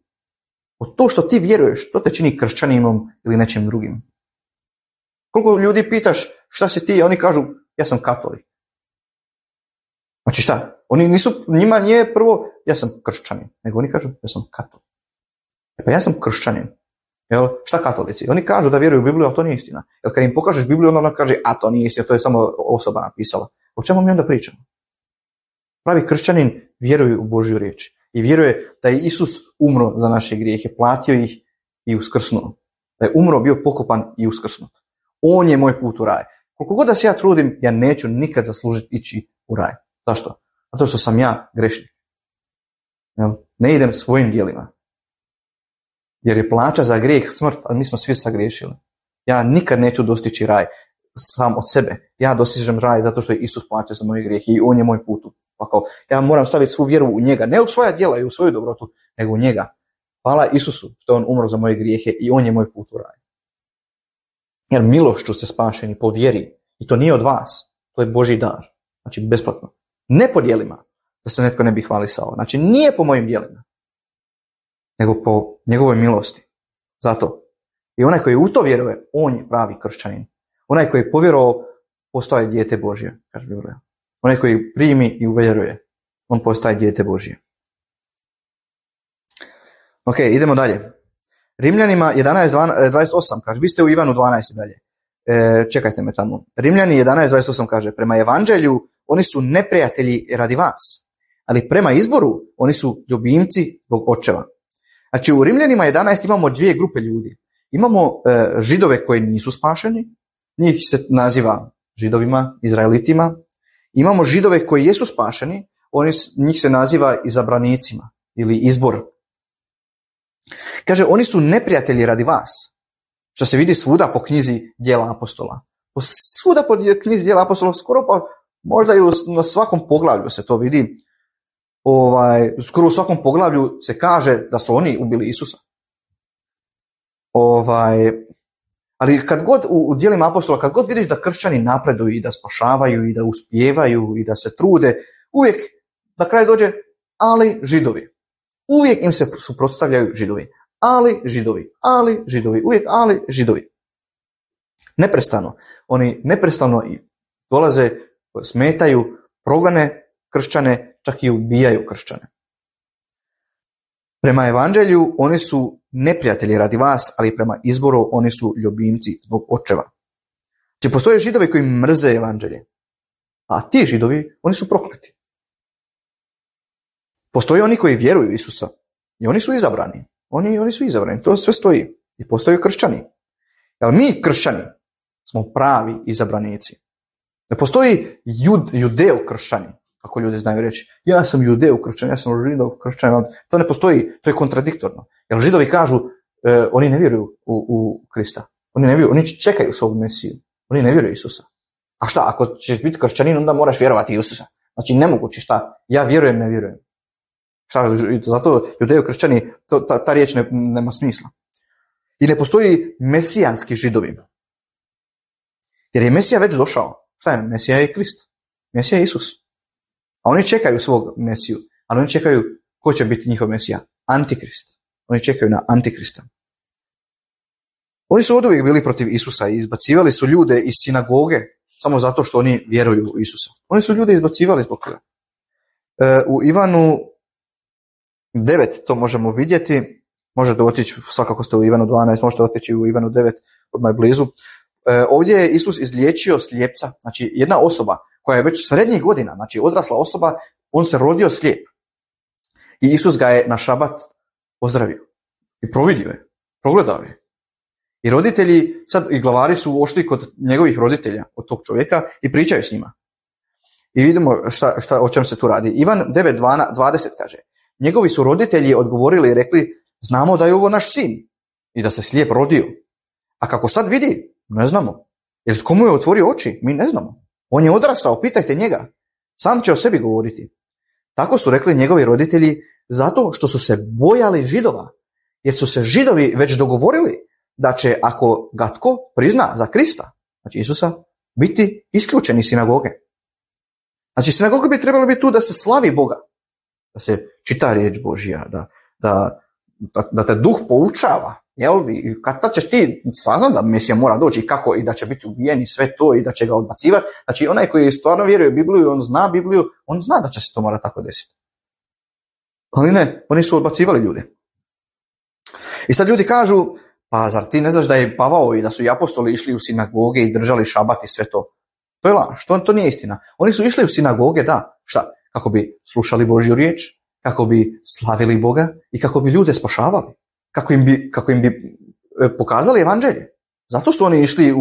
Speaker 1: Od to što ti vjeruješ, to te čini kršćaninom ili nečim drugim. Koliko ljudi pitaš šta si ti, oni kažu ja sam katolik. Znači šta? Njima nije prvo ja sam kršćanin, nego oni kažu ja sam katolik. Pa ja sam kršćanin. Jel? Šta katolici? Oni kažu da vjeruju u Bibliju, a to nije istina. Jer kad im pokažeš Bibliju, ona kaže a to nije istina, to je samo osoba napisala. O čemu mi onda pričamo? Pravi kršćanin vjeruje u Božju riječ. I vjeruje da je Isus umro za naše grijehe, platio ih i uskrsnuo. Da je umro, bio pokopan i uskrsnut. On je moj put u raj. Koliko god da se ja trudim, ja neću nikad zaslužiti ići u raj. Zašto? Zato što sam ja grešnik. Ne idem svojim djelima. Jer je plaća za grijeh smrt, a mi smo svi sagriješili. Ja nikad neću dostići raj sam od sebe. Ja dostižem raj zato što je Isus platio za moje grijehe i on je moj put. Ja moram staviti svu vjeru u njega, ne u svoja djela i u svoju dobrotu, nego u njega. Hvala Isusu što je on umro za moje grijehe i on je moj put u raj. Jer milošću ste spašeni po vjeri. I to nije od vas. To je Božji dar. Znači besplatno. Ne po djelima. Da se netko ne bi hvalisao. Znači nije po mojim djelima. Nego po njegovoj milosti. Zato. I onaj koji u to vjeruje, on je pravi kršćanin. Onaj koji je povjerovao, postaje dijete Božje. Kaže Biblija. Onaj koji primi i uvjeruje, on postaje dijete Božje. Ok, idemo dalje. Rimljanima 11.28 kaže, vi ste u Ivanu 12 dalje. Čekajte me tamo. Rimljani 11.28 kaže, prema evanđelju oni su neprijatelji radi vas, ali prema izboru oni su ljubimci zbog očeva. Znači u Rimljanima 11 imamo dvije grupe ljudi. Imamo židove koji nisu spašeni, njih se naziva židovima, izraelitima. Imamo židove koji jesu spašeni, njih se naziva izabranicima ili izbor. Kaže, oni su neprijatelji radi vas, što se vidi svuda po knjizi Djela apostola. Svuda po knjizi Djela apostola, skoro pa možda i na svakom poglavlju se to vidi. Skoro u svakom poglavlju se kaže da su oni ubili Isusa. Ali kad god u djelima apostola, kad god vidiš da kršćani napreduju i da spašavaju i da uspijevaju i da se trude, uvijek na kraju dođe ali židovi. Uvijek im se suprotstavljaju židovi. Ali židovi. Uvijek ali židovi. Neprestano. Oni neprestano dolaze, smetaju, progane kršćane, čak i ubijaju kršćane. Prema evanđelju oni su neprijatelji radi vas, ali prema izboru oni su ljubimci zbog očeva. Znači postoje židovi koji mrze evanđelje, a ti židovi, oni su prokleti. Postoje oni koji vjeruju u Isusa i oni su izabrani. Oni su izabrani, to sve stoji. I postoje kršćani. Ali mi kršćani smo pravi izabranici. Ne postoji judeo kršćani, ako ljudi znaju reći. Ja sam judeo kršćan, ja sam židov kršćan. To ne postoji, to je kontradiktorno. Jer židovi kažu, oni ne vjeruju u Krista. Oni ne vjeruju, oni čekaju svog Mesiju. Oni ne vjeruju u Isusa. A šta, ako ćeš biti kršćanin, onda moraš vjerovati u Isusa. Znači nemoguće, šta? Ja vjerujem, ne vjerujem. Zato judeo kršćani, ta riječ nema smisla. I ne postoji mesijanski židovi. Jer je Mesija već došao. Šta je? Mesija je Krist. Mesija je Isus. A oni čekaju svog Mesiju. Ali oni čekaju ko će biti njihov Mesija. Antikrist. Oni čekaju na Antikrista. Oni su oduvijek bili protiv Isusa i izbacivali su ljude iz sinagoge samo zato što oni vjeruju u Isusa. Oni su ljude izbacivali zbog toga. U Ivanu 9 to možemo vidjeti, možete otići, svakako ste u Ivanu 12, možete otići u Ivanu 9, odmah blizu. Ovdje je Isus izliječio slijepca, znači jedna osoba koja je već srednjih godina, znači odrasla osoba, on se rodio slijep. I Isus ga je na šabat pozdravio i providio je, progledao je. I roditelji, sad i glavari su ošli kod njegovih roditelja, od tog čovjeka i pričaju s njima. I vidimo o čem se tu radi. Ivan 9.20 kaže, njegovi su roditelji odgovorili i rekli, znamo da je ovo naš sin i da se slijep rodio. A kako sad vidi, ne znamo. Jer komu je otvorio oči, mi ne znamo. On je odrastao, pitajte njega. Sam će o sebi govoriti. Tako su rekli njegovi roditelji zato što su se bojali Židova. Jer su se Židovi već dogovorili da će, ako ga tko prizna za Krista, znači Isusa, biti isključeni iz sinagoge. Znači sinagoga bi trebala biti tu da se slavi Boga, da se čita riječ Božja, da te duh poučava. Jel? Kad ćeš ti saznat da Mesija mora doći i kako, i da će biti ubijen i sve to i da će ga odbacivati. Znači onaj koji stvarno vjeruje u Bibliju, on zna Bibliju, on zna da će se to mora tako desiti. Ali ne, oni su odbacivali ljude. I sad ljudi kažu, pa zar ti ne znaš da je Pavao i da su i apostoli išli u sinagoge i držali šabat i sve to? To je laž, to nije istina. Oni su išli u sinagoge, da, šta? Kako bi slušali Božju riječ, kako bi slavili Boga i kako bi ljude spašavali. Kako im bi pokazali evanđelje. Zato su oni išli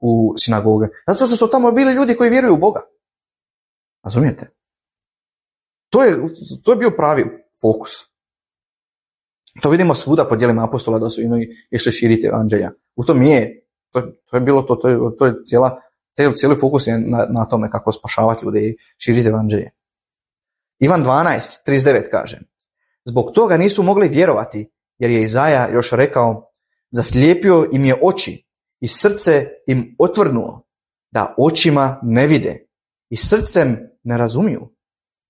Speaker 1: u sinagoge. Zato što su tamo bili ljudi koji vjeruju u Boga. Razumijete? To je bio pravi fokus. To vidimo svuda po djelima apostola da su išli širiti evanđelja. U tom to je bilo to je cijeli fokus je na tome kako spašavati ljude i širiti evanđelje. Ivan 12.39 kaže, zbog toga nisu mogli vjerovati, jer je Izaja još rekao, zaslijepio im je oči i srce im otvrnuo, da očima ne vide i srcem ne razumiju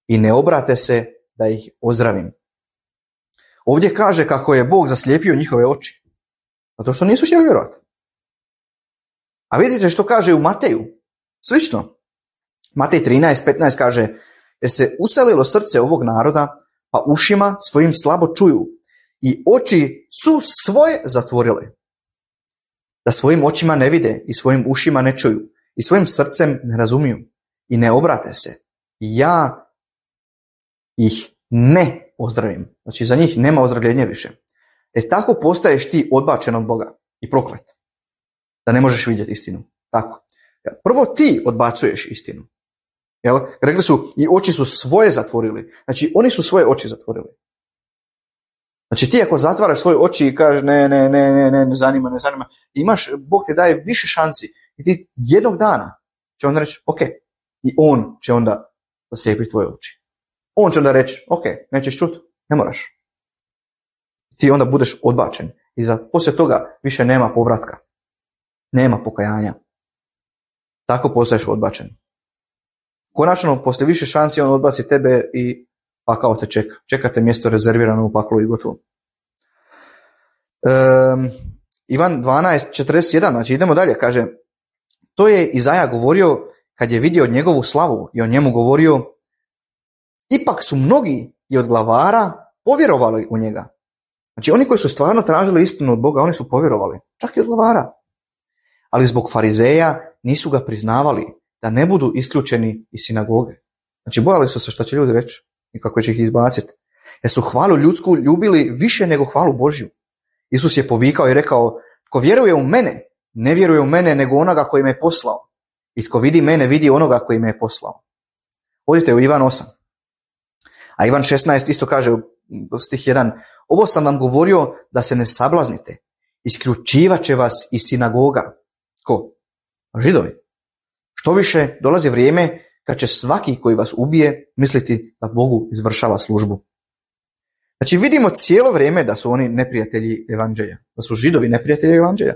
Speaker 1: i ne obrate se da ih ozdravim. Ovdje kaže kako je Bog zaslijepio njihove oči, zato što nisu htjeli vjerovati. A vidite što kaže u Mateju? Slično. Matej 13:15 kaže, jer se uselilo srce ovog naroda, pa ušima svojim slabo čuju i oči su svoje zatvorile, da svojim očima ne vide i svojim ušima ne čuju i svojim srcem ne razumiju i ne obrate se. I ja ih ne ozdravim. Znači za njih nema ozdravljenja više. Tako postaješ ti odbačen od Boga i proklet. Da ne možeš vidjeti istinu. Tako. Prvo ti odbacuješ istinu. Jel? Rekli su i oči su svoje zatvorili. Znači oni su svoje oči zatvorili. Znači ti ako zatvaraš svoje oči i kažeš ne zanima, Bog ti daje više šansi i ti jednog dana će on reći ok, i on će onda zaslijepiti tvoje oči. On će onda reći ok, nećeš čuti, ne moraš. Ti onda budeš odbačen i poslije toga više nema povratka. Nema pokajanja. Tako postaješ odbačen. Konačno, poslije više šansi on odbaci tebe i pakao te čeka. Čekate mjesto rezervirano u paklu i gotovo. Ivan 12:41, znači idemo dalje, kaže, to je Izaja govorio kad je vidio njegovu slavu i o njemu govorio, ipak su mnogi i od glavara povjerovali u njega. Znači oni koji su stvarno tražili istinu od Boga, oni su povjerovali, čak i od glavara. Ali zbog farizeja nisu ga priznavali, da ne budu isključeni iz sinagoge. Znači bojali su se šta će ljudi reći i kako će ih izbaciti. Jer su hvalu ljudsku ljubili više nego hvalu Božju. Isus je povikao i rekao, tko vjeruje u mene, ne vjeruje u mene nego onoga koji me je poslao. I tko vidi mene, vidi onoga koji me je poslao. Odite u Ivan 8. A Ivan 16 isto kaže u stih 1, ovo sam vam govorio da se ne sablaznite. Isključivat će vas iz sinagoga. Ko? Židovi. Što više, dolazi vrijeme kad će svaki koji vas ubije misliti da Bogu izvršava službu. Znači vidimo cijelo vrijeme da su oni neprijatelji evanđelja. Da su Židovi neprijatelji evanđelja.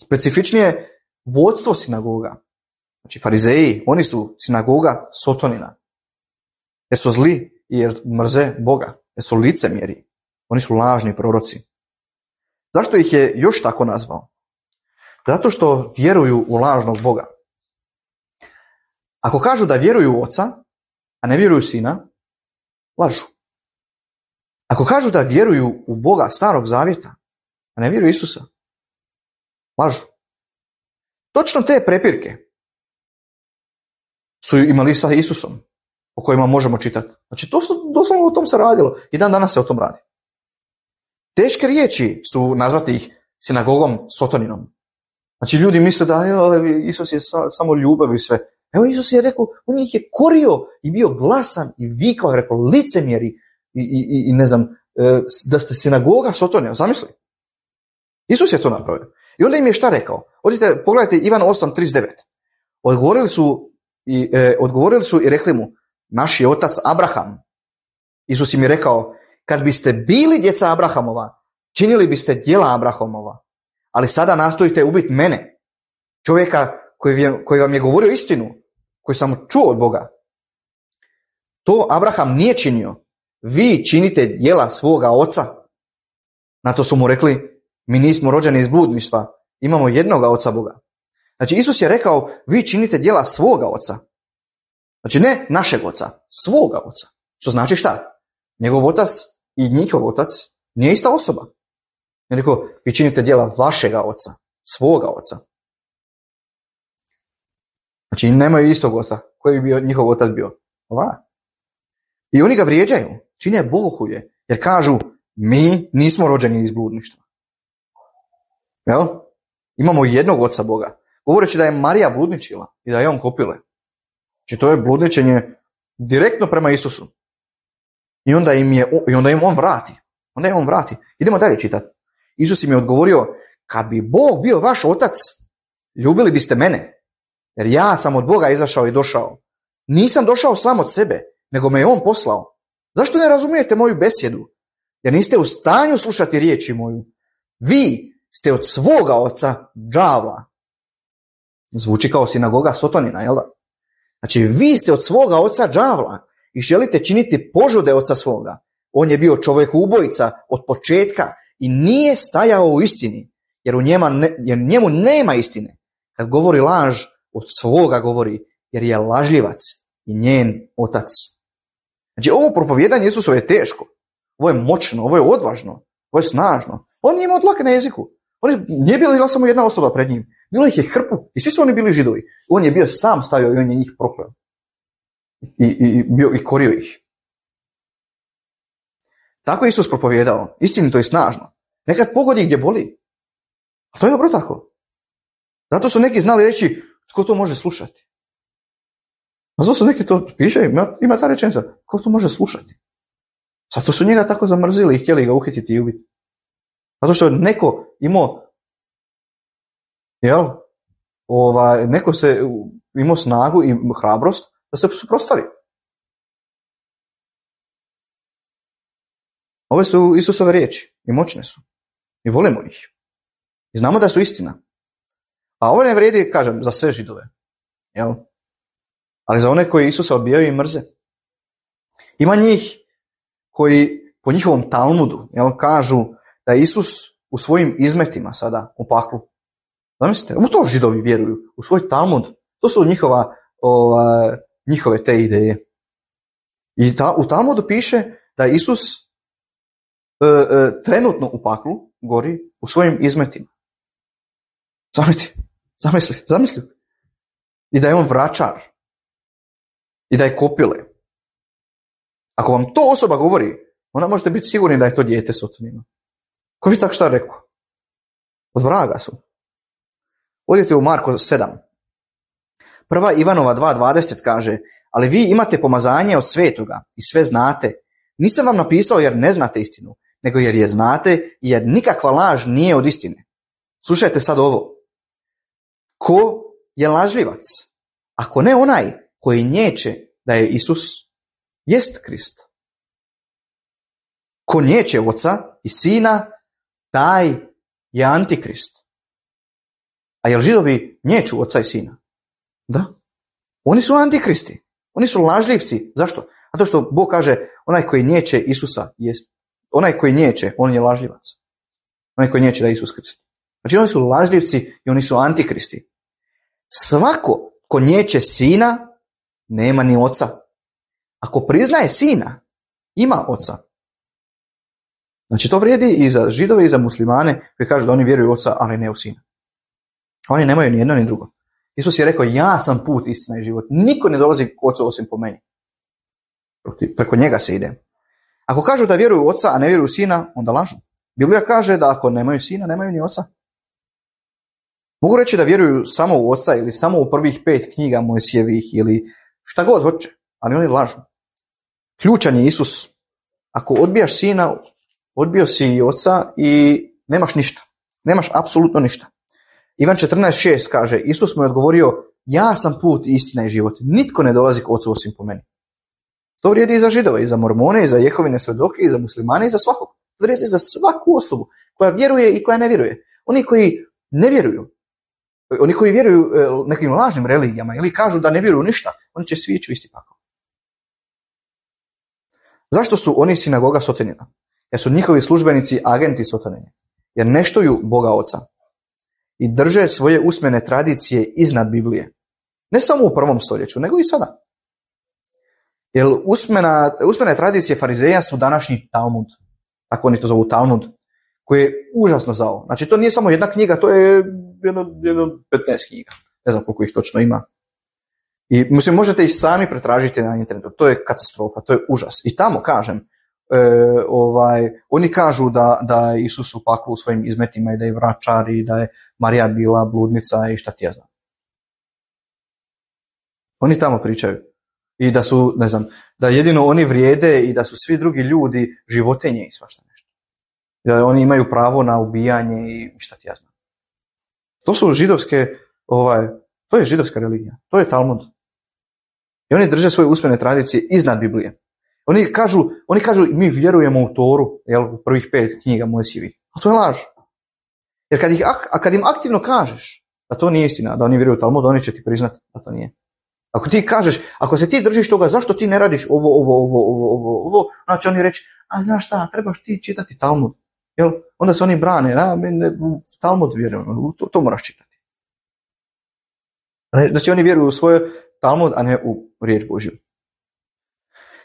Speaker 1: Specifičnije vodstvo sinagoga. Znači farizeji, oni su sinagoga sotonina. Jer su zli i jer mrze Boga. Jer su licemjeri. Oni su lažni proroci. Zašto ih je još tako nazvao? Zato što vjeruju u lažnog Boga. Ako kažu da vjeruju u Oca, a ne vjeruju Sina, lažu. Ako kažu da vjeruju u Boga starog zavjeta, a ne vjeruju Isusa, lažu. Točno te prepirke su imali sa Isusom, o kojima možemo čitati. Znači, doslovno o tom se radilo i dan danas se o tom radi. Teške riječi su nazvati ih sinagogom sotoninom. Znači, ljudi misle da Isus je samo ljubav i sve. Evo, Isus je rekao, on ih je korio i bio glasan i vikao, je rekao, licemjeri i ne znam, da ste sinagoga sotonina. Zamisli. Isus je to napravio. I onda im je šta rekao? Odite, pogledajte Ivan 8:39. Odgovorili su i rekli mu, naš je otac Abraham. Isus im je rekao, kad biste bili djeca Abrahamova, činili biste djela Abrahamova, ali sada nastojite ubiti mene, čovjeka koji vam je govorio istinu, koji sam čuo od Boga. To Abraham nije činio. Vi činite djela svoga oca. Na to su mu rekli, mi nismo rođeni iz bludništva, imamo jednoga oca Boga. Znači Isus je rekao, vi činite djela svoga oca. Znači ne našeg oca, svoga oca. Što znači šta? Njegov otac i njihov otac nije ista osoba. Je rekao, vi činite djela vašega oca, svoga oca. Znači nemaju istog oca. Koji bi bio njihov otac bio? Ova. I oni ga vrijeđaju, čine bogohulje, jer kažu, mi nismo rođeni iz bludništva. Jel? Imamo jednog oca Boga. Govoreći da je Marija bludničila i da je on kopile. Znači to je bludničenje direktno prema Isusu. I onda im on vrati. Idemo dalje čitati. Isus im je odgovorio, kad bi Bog bio vaš otac, ljubili biste mene. Jer ja sam od Boga izašao i došao. Nisam došao sam od sebe, nego me je on poslao. Zašto ne razumijete moju besjedu? Jer niste u stanju slušati riječi moju. Vi ste od svoga oca đavla. Zvuči kao sinagoga Sotonina, jel da? Znači, vi ste od svoga oca đavla i želite činiti požude oca svoga. On je bio čovjek ubojica od početka i nije stajao u istini, jer njemu nema istine. Kad govori laž, od svoga govori, jer je lažljivac i njen otac. Znači, ovo propovijedanje Isusove je teško. Ovo je moćno, ovo je odvažno, ovo je snažno. On nije imao dlake na jeziku. Nije bila samo jedna osoba pred njim. Bilo ih je hrpu i svi su oni bili Židovi. On je bio sam stavio i on je njih prokleo. I korio ih. Tako je Isus propovijedao, istinito i snažno. Nekad pogodi gdje boli. A to je dobro tako. Zato su neki znali reći, tko to može slušati. A zato su neki to piše, ima ta rečenica, tko to može slušati. Zato su njega tako zamrzili i htjeli ga uhititi i ubiti. Zato što neko imao, neko se imao snagu i hrabrost da se suprotstavi. Ove su Isusove riječi i moćne su. I volimo ih. I znamo da su istina. A ovo ne vrijedi, kažem, za sve Židove. Jel? Ali za one koji Isusa odbijaju i mrze. Ima njih koji po njihovom Talmudu kažu da je Isus u svojim izmetima sada u paklu. Zamislite, u to Židovi vjeruju, u svoj Talmud. To su njihove te ideje. I u Talmudu piše da je Isus trenutno u paklu gori u svojim izmetima. Zamisli. I da je on vračar. I da je kopile. Ako vam to osoba govori, onda možete biti sigurni da je to dijete Sotonina. Ko bi tako šta rekao? Od vraga su. Odite u Marko 7. Prva Ivanova 2.20 kaže, ali vi imate pomazanje od svetoga i sve znate. Nisam vam napisao jer ne znate istinu, nego jer je znate i jer nikakva laž nije od istine. Slušajte sad ovo. Ko je lažljivac? Ako ne onaj koji nječe da je Isus jest Krist. Ko nječe oca i sina, taj je antikrist. A jel Židovi nječu oca i sina? Da. Oni su antikristi. Oni su lažljivci. Zašto? Zato što Bog kaže, onaj koji nječe Isusa jest. Onaj koji nječe, on je lažljivac. Onaj koji nječe da je Isus Krist. Znači oni su lažljivci i oni su antikristi. Svako ko nječe sina, nema ni oca. Ako priznaje sina, ima oca. Znači to vrijedi i za Židove i za muslimane koji kažu da oni vjeruju u oca, ali ne u sina. Oni nemaju ni jedno ni drugo. Isus je rekao, ja sam put, istina i život. Niko ne dolazi k ocu osim po meni. Preko njega se ide. Ako kažu da vjeruju u oca, a ne vjeruju u sina, onda lažu. Biblija kaže da ako nemaju sina, nemaju ni oca. Mogu reći da vjeruju samo u oca ili samo u prvih 5 knjiga Mojsijevih ili šta god hoće, ali oni lažu. Ključan je Isus. Ako odbijaš sina, odbio si i oca i nemaš ništa. Nemaš apsolutno ništa. Ivan 14.6 kaže, Isus mu je odgovorio, ja sam put, istina i život. Nitko ne dolazi k ocu osim po meni. To vrijedi i za Židove, i za Mormone, i za Jehovine svedoke, i za muslimane, i za svakog. To vrijedi za svaku osobu koja vjeruje i koja ne vjeruje. Oni koji ne vjeruju, oni koji vjeruju nekim lažnim religijama ili kažu da ne vjeruju ništa, oni će svi ići u isti pakao. Zašto su oni sinagoga Sotonina? Jer su njihovi službenici agenti Sotonine. Jer ne štuju Boga Oca. I drže svoje usmene tradicije iznad Biblije. Ne samo u 1. stoljeću, nego i sada. Jer usmene tradicije farizeja su današnji Talmud. Tako oni to zovu Talmud. Koji je užasno zao. Znači to nije samo jedna knjiga, to je jedno 15 knjiga. Ne znam koliko ih točno ima. I možete ih sami pretražiti na internetu. To je katastrofa, to je užas. I tamo kažem, oni kažu da je Isus u paklu u svojim izmetima i da je vračar i da je Marija bila bludnica i šta ti ja znam. Oni tamo pričaju. I da su, ne znam, da jedino oni vrijede i da su svi drugi ljudi životinje i svašta nešto. I da oni imaju pravo na ubijanje i šta ti ja znam. To su židovske, to je židovska religija. To je Talmud. I oni drže svoje usmene tradicije iznad Biblije. Oni kažu mi vjerujemo u Toru, u prvih 5 knjiga Mojsijevih. A to je laž. Jer kad im aktivno kažeš da to nije istina, da oni vjeruju u Talmud, oni će ti priznati da to nije. Ako ti kažeš, ako se ti držiš toga, zašto ti ne radiš ovo, znači oni reći, a znaš šta, trebaš ti čitati Talmud. Jel? Onda se oni brane, u Talmud vjerujemo, to moraš čitati. Znači oni vjeruju u svoj Talmud, a ne u riječ Božju.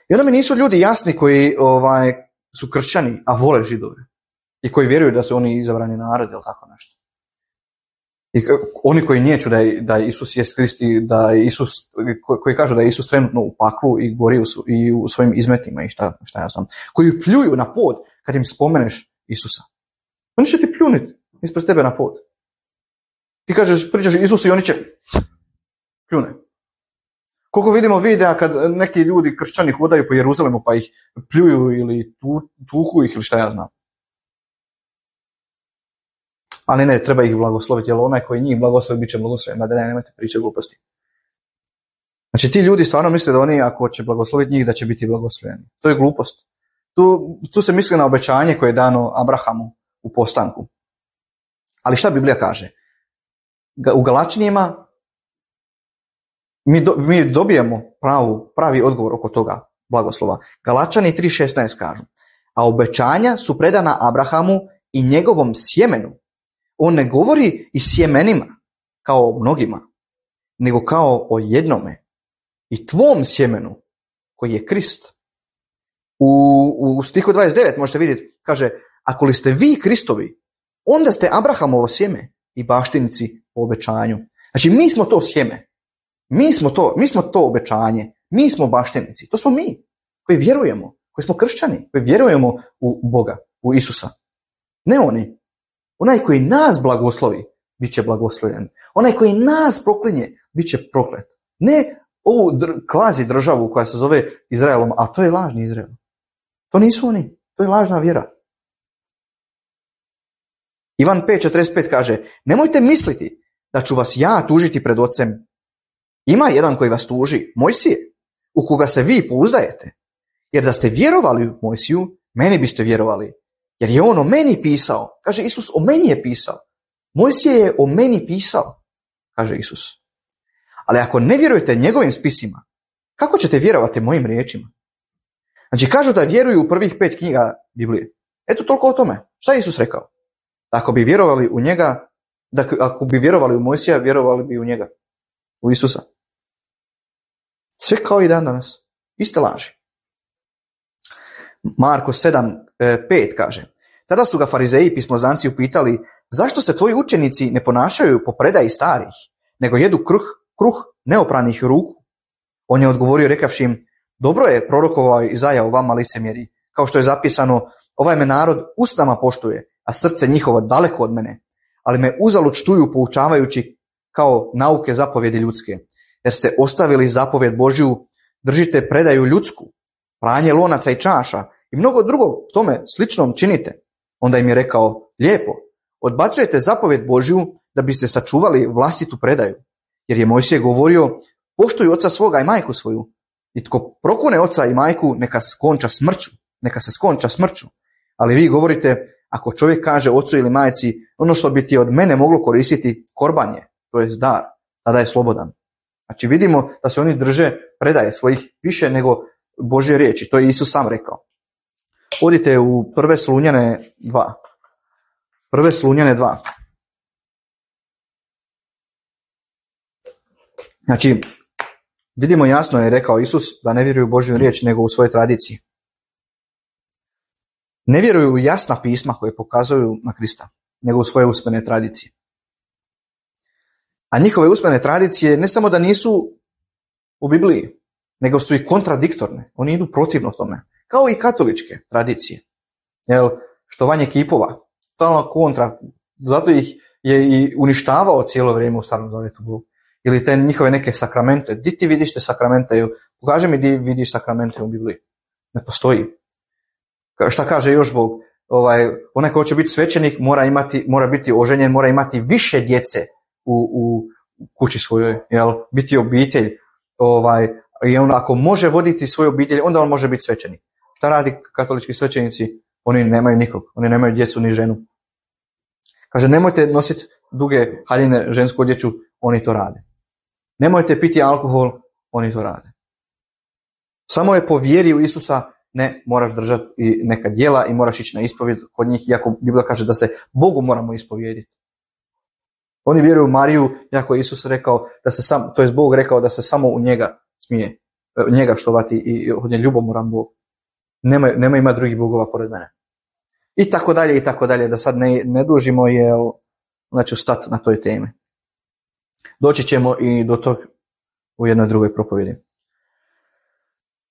Speaker 1: I onda mi nisu ljudi jasni koji su kršćani, a vole Židove. I koji vjeruju da su oni izabrani narod ili tako nešto. I oni koji niječu da je Isus jest Krist i da je Isus, koji kažu da je Isus trenutno u paklu i gori i u svojim izmetima i šta ja znam. Koji pljuju na pod kad im spomeneš Isusa. Oni će ti pljuniti ispred tebe na pod. Ti kažeš, pričaš Isusu i oni će pljune. Koliko vidimo videa kad neki ljudi kršćani hodaju po Jeruzalemu pa ih pljuju ili tuku ih ili šta ja znam. Ali ne, treba ih blagosloviti, jer onaj koji njih blagoslovi bit će blagosloven, da nemojte pričati gluposti. Znači ti ljudi stvarno misle da oni ako će blagosloviti njih da će biti blagosloveni. To je glupost. Tu se misli na obećanje koje je dano Abrahamu u postanku. Ali šta Biblija kaže? U Galačnijima mi dobijemo pravi odgovor oko toga blagoslova. Galačani 3.16 kažu, a obećanja su predana Abrahamu i njegovom sjemenu. On ne govori i sjemenima, kao mnogima, nego kao o jednome. I tvom sjemenu, koji je Krist. U stihu 29 možete vidjeti, kaže, ako li ste vi Kristovi, onda ste Abrahamovo sjeme i baštinici po obećanju. Znači, mi smo to sjeme. Mi smo to obećanje. Mi smo baštinici. To smo mi, koji vjerujemo, koji smo kršćani, koji vjerujemo u Boga, u Isusa. Ne oni. Onaj koji nas blagoslovi, bit će blagoslovljen. Onaj koji nas proklinje, bit će proklet. Ne ovu kvazi državu koja se zove Izraelom, a to je lažni Izrael. To nisu oni, to je lažna vjera. Ivan 5.45 kaže, nemojte misliti da ću vas ja tužiti pred Ocem. Ima jedan koji vas tuži, Mojsije, u koga se vi pouzdajete. Jer da ste vjerovali u Mojsiju, meni biste vjerovali. Jer je on o meni pisao. Kaže Isus, o meni je pisao. Mojsije je o meni pisao, kaže Isus. Ali ako ne vjerujete njegovim spisima, kako ćete vjerovati mojim riječima? Znači kažu da vjeruju u prvih 5 knjiga Biblije. Eto toliko o tome. Šta je Isus rekao? Ako bi vjerovali u njega, ako bi vjerovali u Mojsija, vjerovali bi u njega. U Isusa. Sve kao i dan danas. Iste laži. Marko 7.5 kaže, tada su ga farizeji i pismoznanci upitali, zašto se tvoji učenici ne ponašaju po predaji starih, nego jedu kruh neopranih ruku? On je odgovorio rekavši im, dobro je prorokovao Izaja o vama licemjeri, kao što je zapisano, ovaj me narod usnama poštuje, a srce njihovo daleko od mene, ali me uzalud štuju poučavajući kao nauke zapovjedi ljudske, jer ste ostavili zapovjed Božju, držite predaju ljudsku, pranje lonaca i čaša i mnogo drugog tome sličnom činite. Onda im je rekao, lijepo, odbacujete zapovjed Božju da biste sačuvali vlastitu predaju, jer je Mojsije govorio, poštuj oca svoga i majku svoju, i tko prokune oca i majku, neka se skonča smrću. Ali vi govorite, ako čovjek kaže ocu ili majci, ono što bi ti od mene moglo koristiti korbanje, to je dar, tada je slobodan. Znači vidimo da se oni drže predaje svojih više nego Božje riječi, to je Isus sam rekao. Odite u 1. Slunjane 2. 1. Slunjane 2. Znači, vidimo jasno je rekao Isus da ne vjeruju u Božju riječ nego u svojoj tradiciji. Ne vjeruju u jasna pisma koje pokazuju na Krista, nego u svoje usmene tradicije. A njihove usmene tradicije ne samo da nisu u Bibliji, nego su i kontradiktorne. Oni idu protivno tome. Kao i katoličke tradicije. Štovanje kipova. Totalno kontra. Zato ih je i uništavao cijelo vrijeme u Starom Zavjetu. Ili te njihove neke sakramente. Di ti vidiš te sakramente? Pokaži mi di vidiš sakramente u Bibliji. Ne postoji. Šta kaže još Bog? Onaj ko će biti svećenik mora biti oženjen, mora imati više djece u kući svojoj. Biti obitelj. I on ako može voditi svoju obitelj, onda on može biti svećenik. Šta radi katolički svećenici? Oni nemaju nikog. Oni nemaju djecu ni ženu. Kaže, nemojte nositi duge haljine žensku odjeću, oni to rade. Nemojte piti alkohol, oni to rade. Samo je po vjeri u Isusa, ne moraš držati i neka djela i moraš ići na ispovjed kod njih, iako Biblia kaže da se Bogu moramo ispovjediti. Oni vjeruju u Mariju, iako je Isus rekao da se Bog rekao da se samo u njega smije njega štovati i od nje ljubomoran Bog. Nema ima drugih bogova pored mene. I tako dalje, da sad ne dužimo, jer znači stati na toj temi. Doći ćemo i do tog u jednoj drugoj propovjedi.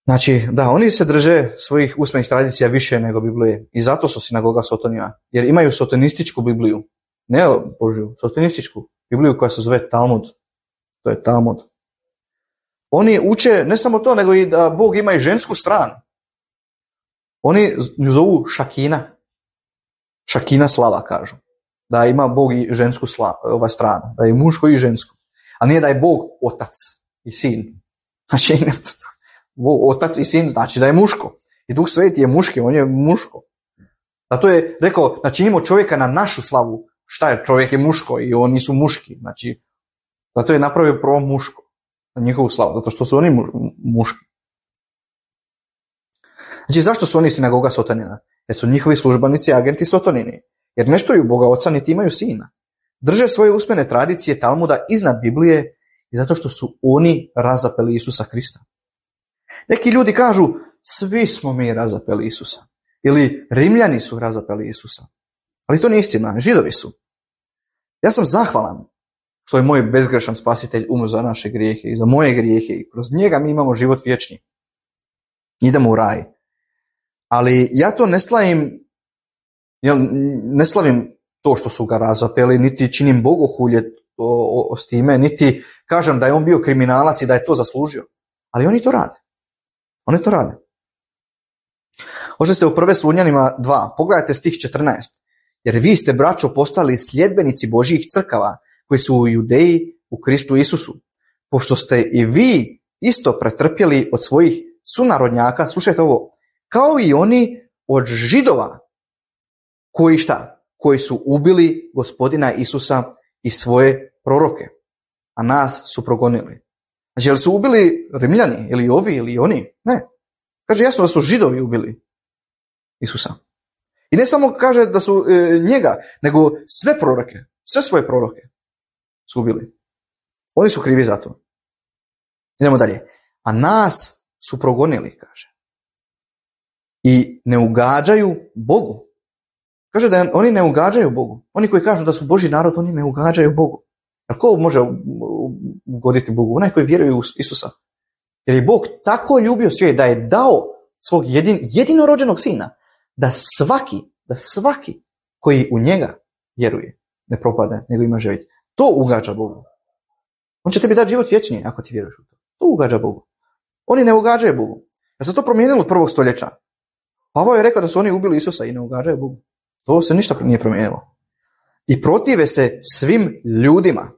Speaker 1: Znači, da, oni se drže svojih usmenih tradicija više nego Biblije i zato su sinagoga sotonija, jer imaju sotonističku Bibliju, ne Božju, sotonističku Bibliju koja se zove Talmud. To je Talmud. Oni uče ne samo to, nego i da Bog ima i žensku stranu. Oni ju zovu Šakina. Šakina slava, kažu. Da ima Bog i žensku stranu, da je muško i žensko. A nije da je Bog otac i sin. Znači, otac i sin znači da je muško. I Duh Sveti je muški, on je muško. Zato je rekao, da činimo čovjeka na našu slavu. Šta je, čovjek je muško i oni su muški. Znači, zato je napravio prvo muško. Na njihovu slavu, zato što su oni muški. Znači, zašto su oni sinagoga sotonina? Jer su njihovi službenici agenti sotonini. Jer ne štuju Boga Oca niti imaju sina. Drže svoje usmene tradicije Talmuda iznad Biblije i zato što su oni razapeli Isusa Krista. Neki ljudi kažu, svi smo mi razapeli Isusa. Ili Rimljani su razapeli Isusa. Ali to nije istina, Židovi su. Ja sam zahvalan što je moj bezgrešan spasitelj umro za naše grijehe i za moje grijehe i kroz njega mi imamo život vječni. Idemo u raj. Ali ja to ne slavim to što su ga razapeli, niti činim bogohulje s time, niti kažem da je on bio kriminalac i da je to zaslužio. Ali oni to rade. Oni to rade. Hoće ste u 1. Slunjanima 2, pogledajte stih 14. Jer vi ste, braćo, postali sljedbenici Božjih crkava, koji su u Judeji u Kristu Isusu. Pošto ste i vi isto pretrpjeli od svojih sunarodnjaka, slušajte ovo, kao i oni od Židova, koji šta? Koji su ubili Gospodina Isusa i svoje proroke, a nas su progonili. Znači, jel su ubili Rimljani, ili ovi, ili oni? Ne. Kaže jasno da su Židovi ubili Isusa. I ne samo kaže da su njega, nego sve proroke, sve svoje proroke su ubili. Oni su krivi za to. Idemo dalje. A nas su progonili, kaže. I ne ugađaju Bogu. Kaže da oni ne ugađaju Bogu. Oni koji kažu da su Božji narod, oni ne ugađaju Bogu. A ko može ugoditi Bogu? Onaj koji vjeruje u Isusa. Jer je Bog tako ljubio svijet da je dao svog jedinorođenog sina da svaki koji u njega vjeruje ne propade, nego ima život. To ugađa Bogu. On će tebi dati život vječni ako ti vjeruješ u to. To ugađa Bogu. Oni ne ugađaju Bogu. Ja se to promijenilo od 1. stoljeća. Pavao je rekao da su oni ubili Isusa i ne ugađaju Bogu. To se ništa nije promijenilo. I protive se svim ljudima.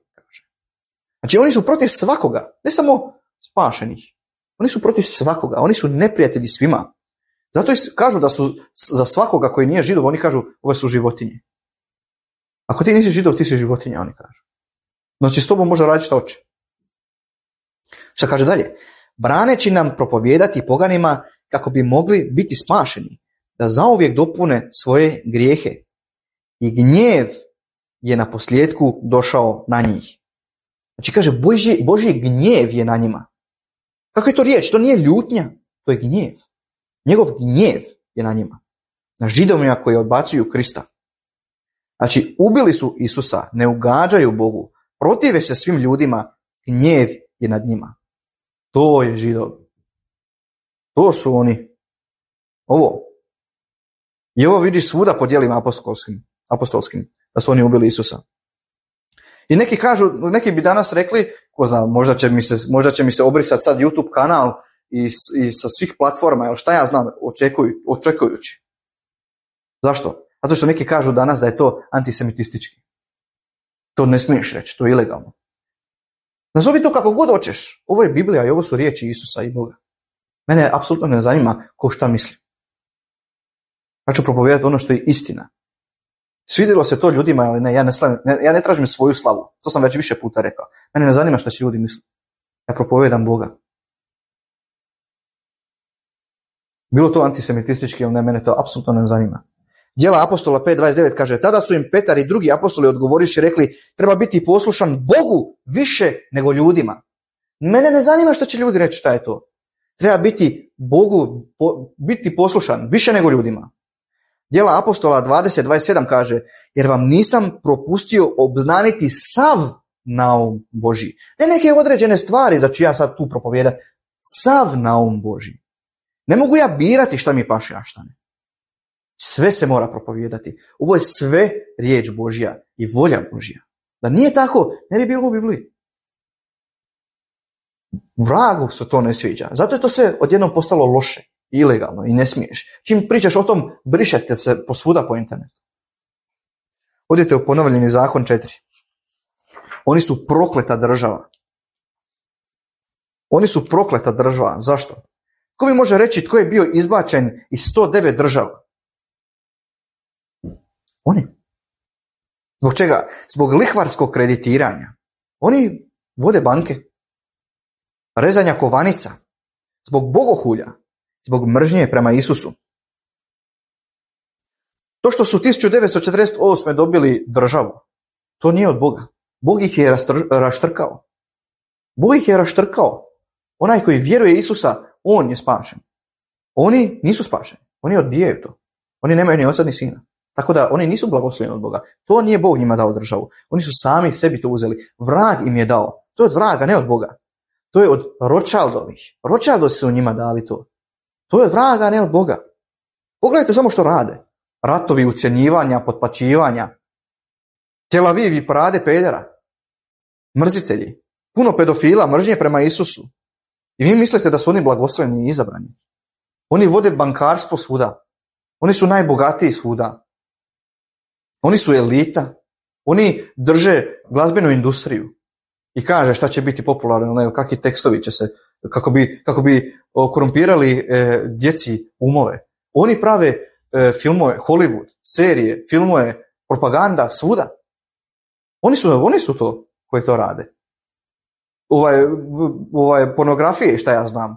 Speaker 1: Znači oni su protiv svakoga, ne samo spašenih. Oni su protiv svakoga, oni su neprijatelji svima. Zato kažu da su za svakoga koji nije Židov, oni kažu ove su životinje. Ako ti nisi Židov, ti si životinja, oni kažu. Znači s tobom može raditi šta hoće. Šta kaže dalje? Braneći nam propovijedati poganima kako bi mogli biti spašeni, da zauvijek dopune svoje grijehe. I gnjev je na posljedku došao na njih. Znači kaže, Božji gnjev je na njima. Kako je to riječ? To nije ljutnja, to je gnjev. Njegov gnjev je na njima. Na Židovima koji odbacuju Krista. Znači, ubili su Isusa, ne ugađaju Bogu, protive se svim ljudima, gnjev je nad njima. To je Židov. To su oni. Ovo. I ovo vidiš svuda po djelima apostolskim, da su oni ubili Isusa. I neki bi danas rekli, ko zna, možda će mi se obrisati sad YouTube kanal i sa svih platforma, ili šta ja znam, očekujući. Zašto? Zato što neki kažu danas da je to antisemitistički. To ne smiješ reći, to je ilegalno. Nazovi to kako god hoćeš. Ovo je Biblija i ovo su riječi Isusa i Boga. Mene apsolutno ne zanima ko šta misli. Ja ću propovijedati ono što je istina. Svidjelo se to ljudima, ali ne, ja ne tražim svoju slavu. To sam već više puta rekao. Mene ne zanima što će ljudi misle. Ja propovedam Boga. Bilo to antisemitistički ili ne, mene to apsolutno ne zanima. Djela apostola 5.29 kaže, tada su im Petar i drugi apostoli odgovoriši rekli, treba biti poslušan Bogu više nego ljudima. Mene ne zanima što će ljudi reći šta je to. Treba biti Bogu, biti poslušan više nego ljudima. Djela apostola 20.27 kaže, jer vam nisam propustio obznaniti sav naum Božji. Ne neke određene stvari da ću ja sad tu propovijedati. Sav naum Božji. Ne mogu ja birati šta mi paše, a šta ne. Sve se mora propovijedati. Ovo je sve riječ Božja i volja Božja. Da nije tako, ne bi bilo u Bibliji. Vragu se to ne sviđa. Zato je to sve odjednom postalo loše, ilegalno i ne smiješ. Čim pričaš o tom, brišete se posvuda po internetu. Odite u Ponovljeni zakon 4. Oni su prokleta država. Oni su prokleta država. Zašto? Ko mi može reći tko je bio izbačen iz 109 država? Oni. Zbog čega? Zbog lihvarskog kreditiranja. Oni vode banke. Rezanja kovanica. Zbog bogohulja. Zbog mržnje prema Isusu. To što su 1948. dobili državu, to nije od Boga. Bog ih je raštrkao. Bog ih je raštrkao. Onaj koji vjeruje Isusa, on je spašen. Oni nisu spašeni. Oni odbijaju to. Oni nemaju ni oca ni sina. Tako da oni nisu blagoslovljeni od Boga. To nije Bog njima dao državu. Oni su sami sebi to uzeli. Vrag im je dao. To je od vraga, ne od Boga. To je od Rothschildovih. Rothschildovi su njima dali to. To je od vraga, ne od Boga. Pogledajte samo što rade. Ratovi, ucjenjivanja, potplaćivanja. Tel Aviv i parade pedera. Mrzitelji. Puno pedofila, mržnje prema Isusu. I vi mislite da su oni blagoslovljeni i izabrani. Oni vode bankarstvo svuda. Oni su najbogatiji svuda. Oni su elita. Oni drže glazbenu industriju. I kaže šta će biti popularno, kakvi tekstovi će se, kako bi korumpirali djeci umove. Oni prave filmove, Hollywood, serije, filmove, propaganda, svuda. Oni su to koji to rade. Pornografije, šta ja znam.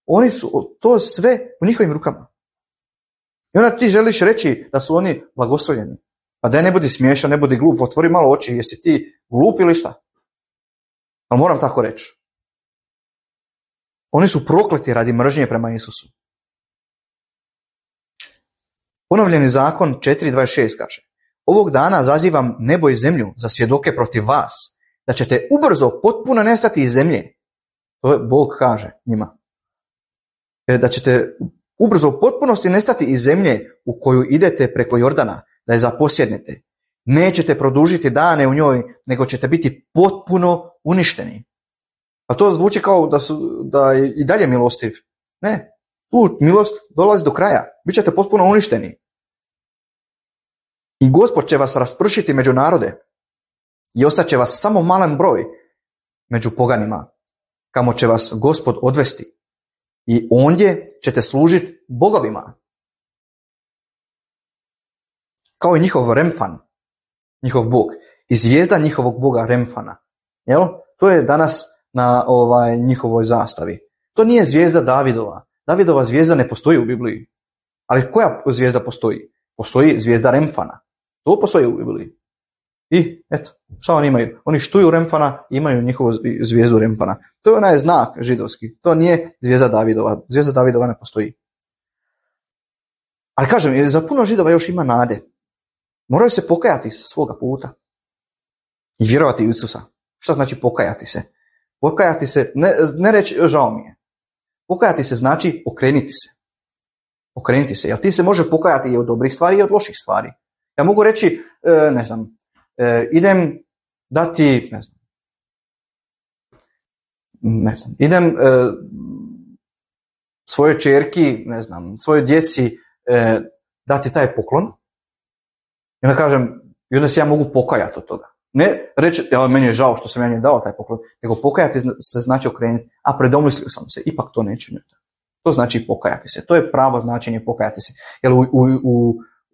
Speaker 1: Oni su to sve u njihovim rukama. I onda ti želiš reći da su oni blagoslovljeni. Pa daj ne budi smiješan, ne budi glup, otvori malo oči, jesi ti glup ili šta? Ali moram tako reći. Oni su prokleti radi mržnje prema Isusu. Ponovljeni zakon 4.26 kaže, ovog dana zazivam nebo i zemlju za svjedoke protiv vas, da ćete ubrzo potpuno nestati iz zemlje. To je Bog kaže njima. Da ćete ubrzo u potpunosti nestati iz zemlje u koju idete preko Jordana, da je zaposjednete. Nećete produžiti dane u njoj, nego ćete biti potpuno uništeni. A to zvuči kao da je i dalje milostiv. Ne, tu milost dolazi do kraja. Bićete potpuno uništeni. I Gospod će vas raspršiti među narode i ostaće vas samo malen broj među poganima, kamo će vas Gospod odvesti. I ondje ćete služiti bogovima. Kao i njihov Remfan, njihov bog. I zvijezda njihovog boga Remfana. Jel? To je danas na njihovoj zastavi. To nije zvijezda Davidova. Davidova zvijezda ne postoji u Bibliji. Ali koja zvijezda postoji? Postoji zvijezda Remfana. To postoji u Bibliji. I eto, šta oni imaju? Oni štuju Remfana i imaju njihovu zvijezdu Remfana. To je onaj znak židovski. To nije zvijezda Davidova. Zvijezda Davidova ne postoji. Ali kažem, za puno Židova još ima nade. Moraju se pokajati sa svoga puta. I vjerovati u Isusa. Šta znači pokajati se? Pokajati se, ne reći žao mi je. Pokajati se znači okrenuti se. Okrenuti se. Jer ti se može pokajati i od dobrih stvari i od loših stvari. Ja mogu reći, idem dati, idem svojoj ćerki, svojoj djeci dati taj poklon. I onda kažem, i onda se ja mogu pokajati od toga. Ne reći, meni je žao što sam ja njoj dao taj poklon, nego pokajati se znači okrenuti, a predomislio sam se, ipak to neću. To znači pokajati se. To je pravo značenje pokajati se. Jer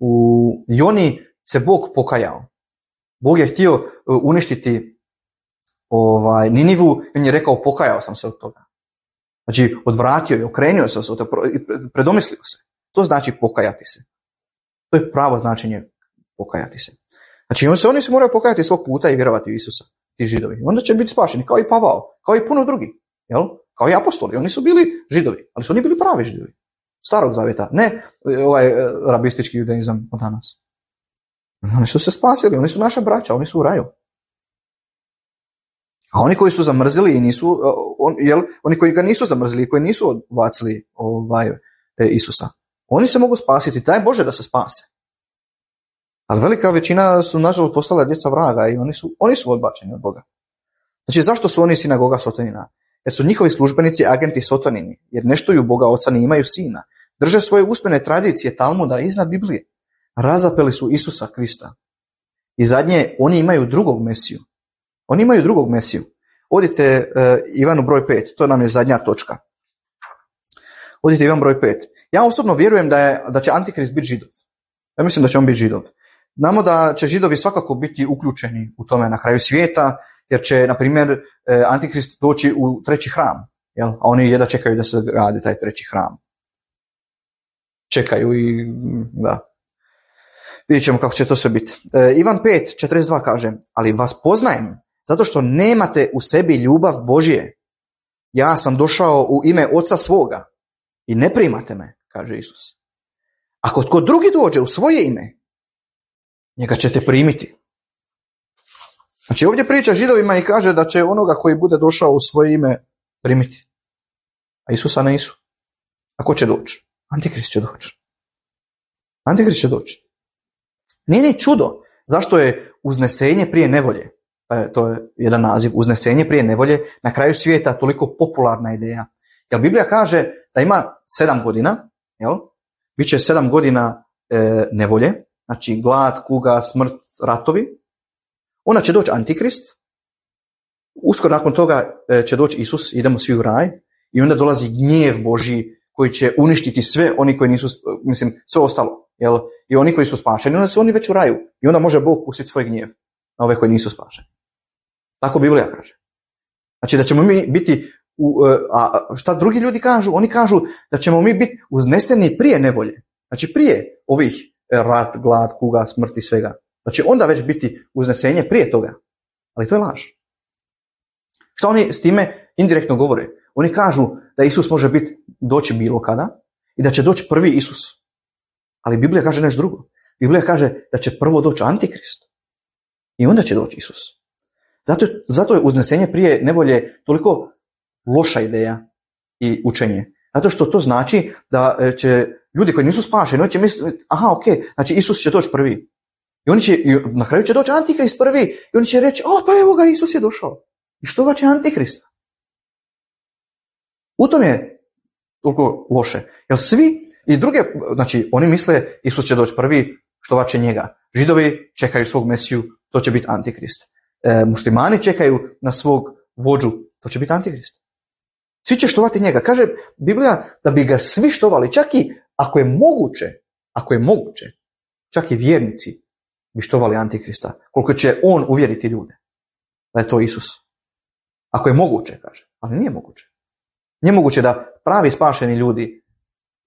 Speaker 1: u Joni se Bog pokajao. Bog je htio uništiti Ninivu i on je rekao pokajao sam se od toga. Znači odvratio je, okrenuo se od toga, predomislio se. To znači pokajati se. To je pravo značenje pokajati se. Znači oni se moraju pokajati svog puta i vjerovati u Isusa, ti Židovi. Onda će biti spašeni, kao i Pavao, kao i puno drugi. Jel? Kao i apostoli. Oni su bili Židovi, ali su oni bili pravi Židovi. Starog zavjeta, ne rabistički judaizam od danas. Oni su se spasili, oni su naša braća, oni su u raju. A oni koji su zamrzili i nisu, oni koji ga nisu zamrzili, koji nisu odbacili Isusa, oni se mogu spasiti, daj Bože da se spase. Ali velika većina su nažalost postala djeca vraga i oni su odbačeni od Boga. Znači zašto su oni sinagoga Sotonina? Jer su njihovi službenici agenti Sotonini, jer ne štuju Boga Oca ni imaju Sina. Drže svoje usmene tradicije Talmuda iznad Biblije. Razapeli su Isusa Krista. I zadnje, oni imaju drugog Mesiju. Oni imaju drugog Mesiju. Odite Ivanu broj 5, to nam je zadnja točka. Odite Ivan broj 5. Ja osobno vjerujem da će Antikrist biti Židov. Ja mislim da će on biti Židov. Znamo da će Židovi svakako biti uključeni u tome na kraju svijeta, jer će, na primjer, Antikrist doći u treći hram. Jel? A oni jedva čekaju da se radi taj treći hram. Čekaju i da. Vidjet ćemo kako će to sve biti. Ivan 5:42 kaže, ali vas poznajem, zato što nemate u sebi ljubav Božje. Ja sam došao u ime Oca svoga i ne primate me, kaže Isus. Ako tko drugi dođe u svoje ime, njega ćete primiti. Znači ovdje priča Židovima i kaže da će onoga koji bude došao u svoje ime primiti. A Isusa nisu. A ko će doći? Antikrist će doći. Antikrist će doći. Nije ni čudo zašto je uznesenje prije nevolje. To je jedan naziv, uznesenje prije nevolje, na kraju svijeta toliko popularna ideja. Jer Biblija kaže da ima 7 godina, jel? Biće 7 godina nevolje, znači glad, kuga, smrt, ratovi. Onda će doći Antikrist, uskoro nakon toga će doći Isus, idemo svi u raj, i onda dolazi gnjev Božji koji će uništiti sve oni koji nisu, sve ostalo, jel? I oni koji su spašeni, onda su oni već u raju. I onda može Bog pustiti svoj gnjev na ove koji nisu spašeni. Tako Biblija kaže. Znači da ćemo mi biti, a šta drugi ljudi kažu? Oni kažu da ćemo mi biti uzneseni prije nevolje. Znači prije ovih rat, glad, kuga, smrti, svega. Znači onda već biti uznesenje prije toga. Ali to je laž. Šta oni s time indirektno govore? Oni kažu da Isus može doći bilo kada i da će doći prvi Isus. Ali Biblija kaže nešto drugo. Biblija kaže da će prvo doći Antikrist. I onda će doći Isus. Zato je uznesenje prije nevolje toliko loša ideja i učenje. Zato što to znači da će ljudi koji nisu spašeni, oni će misliti, aha, ok, znači Isus će doći prvi. I na kraju će doći Antikrist prvi i oni će reći, pa evo ga, Isus je došao. I što ga će Antikrista? U tom je toliko loše. Jer svi i druge, znači oni misle Isus će doći prvi, što će njega. Židovi čekaju svog Mesiju, to će biti Antikrist. Muslimani čekaju na svog vođu, to će biti Antikrist. Svi će štovati njega. Kaže Biblija da bi ga svi štovali, čak i ako je moguće, čak i vjernici bi štovali Antikrista, koliko će on uvjeriti ljude da je to Isus. Ako je moguće, kaže, ali nije moguće. Nije moguće da pravi spašeni ljudi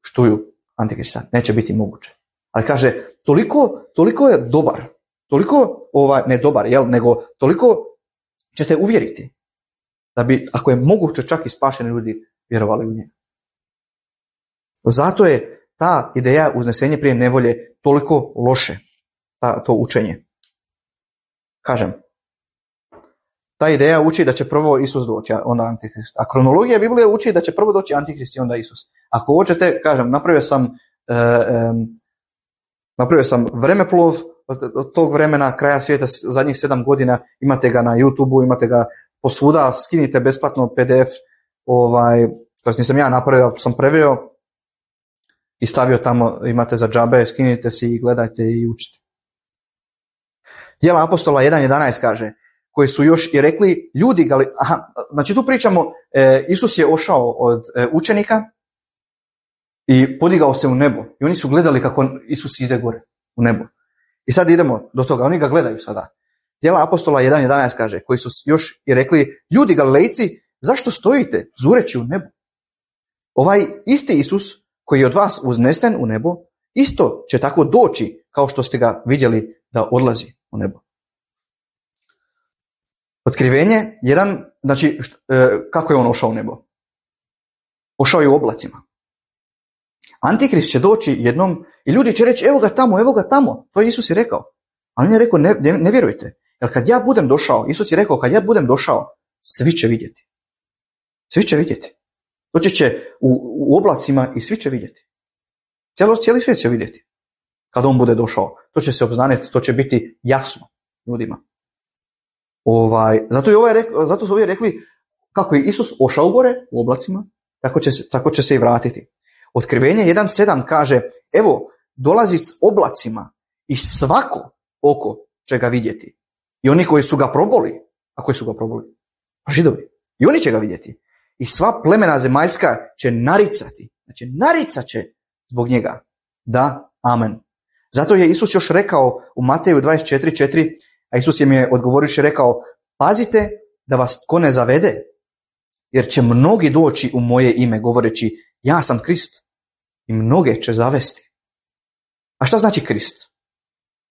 Speaker 1: štuju Antikrista, neće biti moguće. Ali kaže, toliko je dobar, toliko ne dobar, nego toliko ćete uvjeriti da bi, ako je moguće, čak i spašeni ljudi vjerovali u njega. Zato je ta ideja uznesenje prije nevolje toliko loše, to učenje. Kažem, ta ideja uči da će prvo Isus doći, onda Antikrist. A kronologija Biblije uči da će prvo doći Antikrist i onda Isus. Ako hoćete, kažem, napravio sam vremeplov od tog vremena, kraja svijeta, zadnjih 7 godina, imate ga na YouTubeu, imate ga posvuda, skinite besplatno PDF, to nisam ja napravio, sam preveo i stavio tamo, imate za džabe, skinite si i gledajte i učite. Djela apostola 1.11 kaže, koji su još i rekli ljudi, znači tu pričamo, Isus je ošao od učenika i podigao se u nebo i oni su gledali kako Isus ide gore u nebo. I sad idemo do toga, oni ga gledaju sada. Djela apostola 1.11 kaže, koji su još i rekli, ljudi Galilejci, zašto stojite zureći u nebu? Ovaj isti Isus koji je od vas uznesen u nebo, isto će tako doći kao što ste ga vidjeli da odlazi u nebo. Otkrivenje, znači kako je on ošao u nebo? Ošao je u oblacima. Antikrist će doći jednom i ljudi će reći, evo ga tamo, to je Isus je rekao. A on je rekao, ne vjerujte, jer kad ja budem došao, Isus je rekao, kad ja budem došao, svi će vidjeti. Svi će vidjeti. Doći će u oblacima i svi će vidjeti. Cijeli svijet će vidjeti. Kad on bude došao, to će se obznaniti, to će biti jasno ljudima. Zato su ovi rekli, kako je Isus ošao gore u oblacima, tako će se i vratiti. Otkrivenje 1.7 kaže, evo, dolazi s oblacima i svako oko će ga vidjeti. I oni koji su ga proboli, a koji su ga proboli? Židovi. I oni će ga vidjeti. I sva plemena zemaljska će naricati. Znači, naricat će zbog njega. Da, amen. Zato je Isus još rekao u Mateju 24.4, a Isus im je odgovorivši rekao, pazite da vas tko ne zavede, jer će mnogi doći u moje ime govoreći, ja sam Krist, i mnoge će zavesti. A šta znači Krist?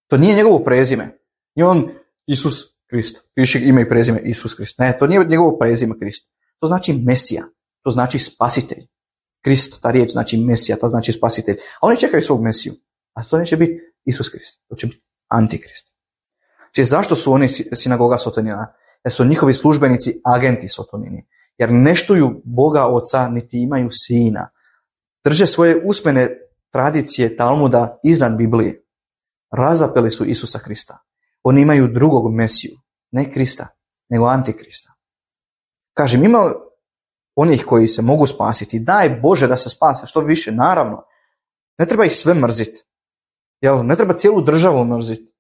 Speaker 1: To nije njegovo prezime. Nije on Isus Krist. Piše ime i prezime Isus Krist. Ne, to nije njegovo prezime Krist. To znači Mesija. To znači spasitelj. Krist, ta riječ znači Mesija, to znači spasitelj. A oni čekaju svog Mesiju. A to neće biti Isus Krist. To će biti Antikrist. Znači, zašto su oni sinagoga Sotonina? Jer su njihovi službenici agenti Sotonini. Jer ne štuju Boga Oca, niti imaju Sina. Drže svoje usmene tradicije Talmuda iznad Biblije. Razapeli su Isusa Krista. Oni imaju drugog Mesiju. Ne Krista, nego Antikrista. Kažem, ima onih koji se mogu spasiti. Daj Bože da se spase što više, naravno. Ne treba ih sve mrziti. Jel? Ne treba cijelu državu mrziti.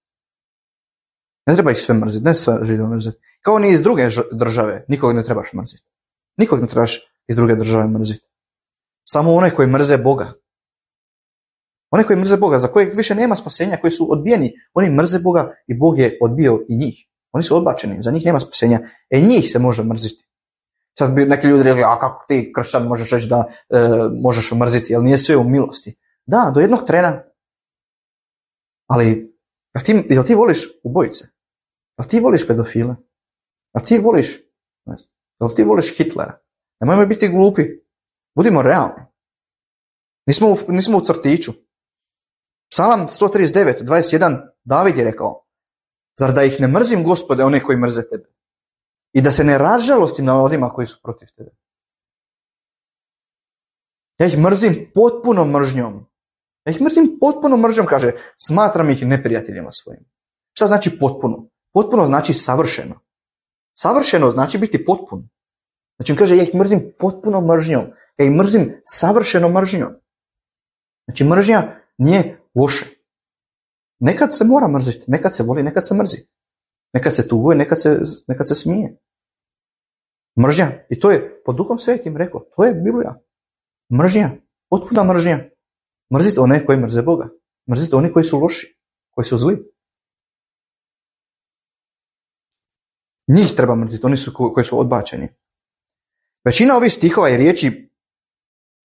Speaker 1: Ne treba ih sve mrziti, ne sve Židove mrziti. Kao ni iz druge države, nikog ne trebaš mrziti. Nikog ne trebaš iz druge države mrziti. Samo one koji mrze Boga. One koji mrze Boga, za kojeg više nema spasenja, koji su odbijeni, oni mrze Boga i Bog je odbio i njih. Oni su odbačeni, za njih nema spasenja. Njih se može mrziti. Sad bi neki ljudi rekli, a kako ti kršćan možeš reći da možeš mrziti, jer nije sve u milosti. Da, do jednog trena. Ali, jel ti voliš ubojice? Jel ti voliš pedofile? Jel ti voliš Hitlera? Nemojmo biti glupi. Budimo realni. Nismo u crtiću. Psalam 139.21 David je rekao, zar da ih ne mrzim, Gospode, one koji mrze tebe? I da se ne razžalostim na onima koji su protiv tebe. Ja ih mrzim potpunom mržnjom. Kaže, smatram ih neprijateljima svojim. Šta znači potpuno? Potpuno znači savršeno. Savršeno znači biti potpuno. Znači on kaže, ja ih mrzim potpunom mržnjom. Ja ih mrzim savršenom mržnjom. Znači mržnja nije loše. Nekad se mora mrziti, nekad se voli, nekad se mrzi. Nekad se tuguje, nekad se smije. Mržnja. I to je po Duhom Svetim rekao. To je Biblija. Mržnja. Potpuna mržnja. Mrzite one koji mrze Boga. Mrzite oni koji su loši. Koji su zli. Njih treba mrziti. Oni su koji su odbačeni. Većina ovih stihova i riječi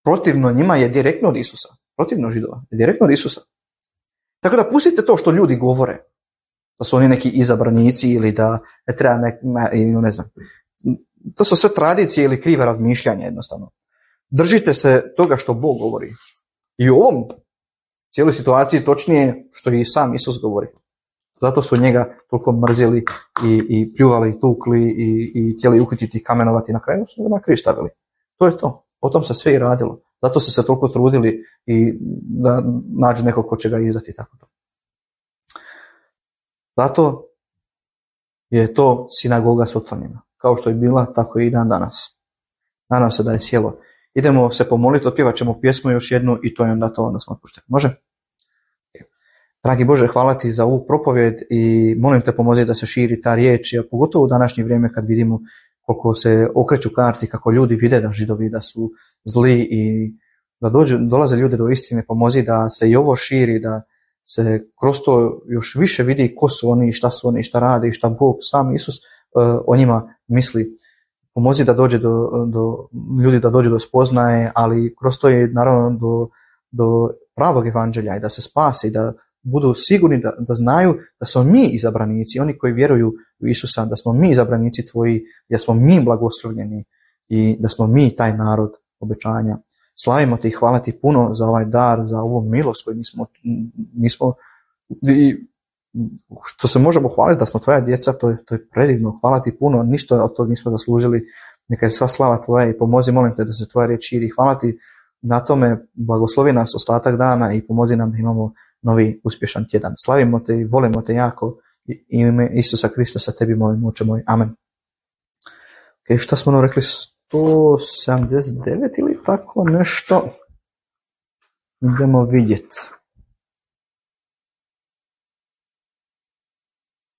Speaker 1: protivno njima je direktno od Isusa. Protivno Židova. Je direktno od Isusa. Tako da pustite to što ljudi govore. Da su oni neki izabranici ili da ne treba ne znam. To su sve tradicije ili krive razmišljanja jednostavno. Držite se toga što Bog govori. I u ovom cijeloj situaciji točnije što i sam Isus govori. Zato su njega toliko mrzili i pljuvali, tukli i htjeli uhititi i kamenovati. Na kraju su ga na križ stavili. To je to. O tom se sve i radilo. Zato su se toliko trudili i da nađu nekog ko će ga izdati. Tako to. Zato je to sinagoga Sotonina. Kao što je bila, tako i dan danas. Nadam se da je sjelo. Idemo se pomoliti, otpjevat ćemo pjesmu još jednu i to je onda to, onda smo otpušteni. Može? Dragi Bože, hvala ti za ovu propovjed i molim te pomozi da se širi ta riječ, a pogotovo u današnje vrijeme kad vidimo koliko se okreću karti, kako ljudi vide da Židovi da su zli i da dolaze ljudi do istine, pomozi da se i ovo širi, da se kroz to još više vidi ko su oni, šta rade i šta Bog, sam Isus o njima misli. Pomozi da dođe do ljudi, da dođe do spoznaje, ali kroz to je naravno do pravog evanđelja i da se spase i da budu sigurni da znaju da smo mi izabranici, oni koji vjeruju u Isusa, da smo mi izabranici tvoji, da smo mi blagoslovljeni i da smo mi taj narod obećanja. Slavimo te i hvala ti puno za ovaj dar, za ovu milost koju nismo što se možemo hvaliti da smo tvoja djeca, to je predivno. Hvala ti puno, ništa od toga nismo zaslužili. Neka je sva slava tvoja i pomozi, molim te, da se tvoja riječ širi. Hvala ti na tome, blagoslovi nas ostatak dana i pomozi nam da imamo novi uspješan tjedan. Slavimo te i volimo te jako i ime Isusa Krista sa tebi molimo, Oče moj. Amen. Ok, šta smo rekli? 179 ili tako nešto? Idemo vidjeti.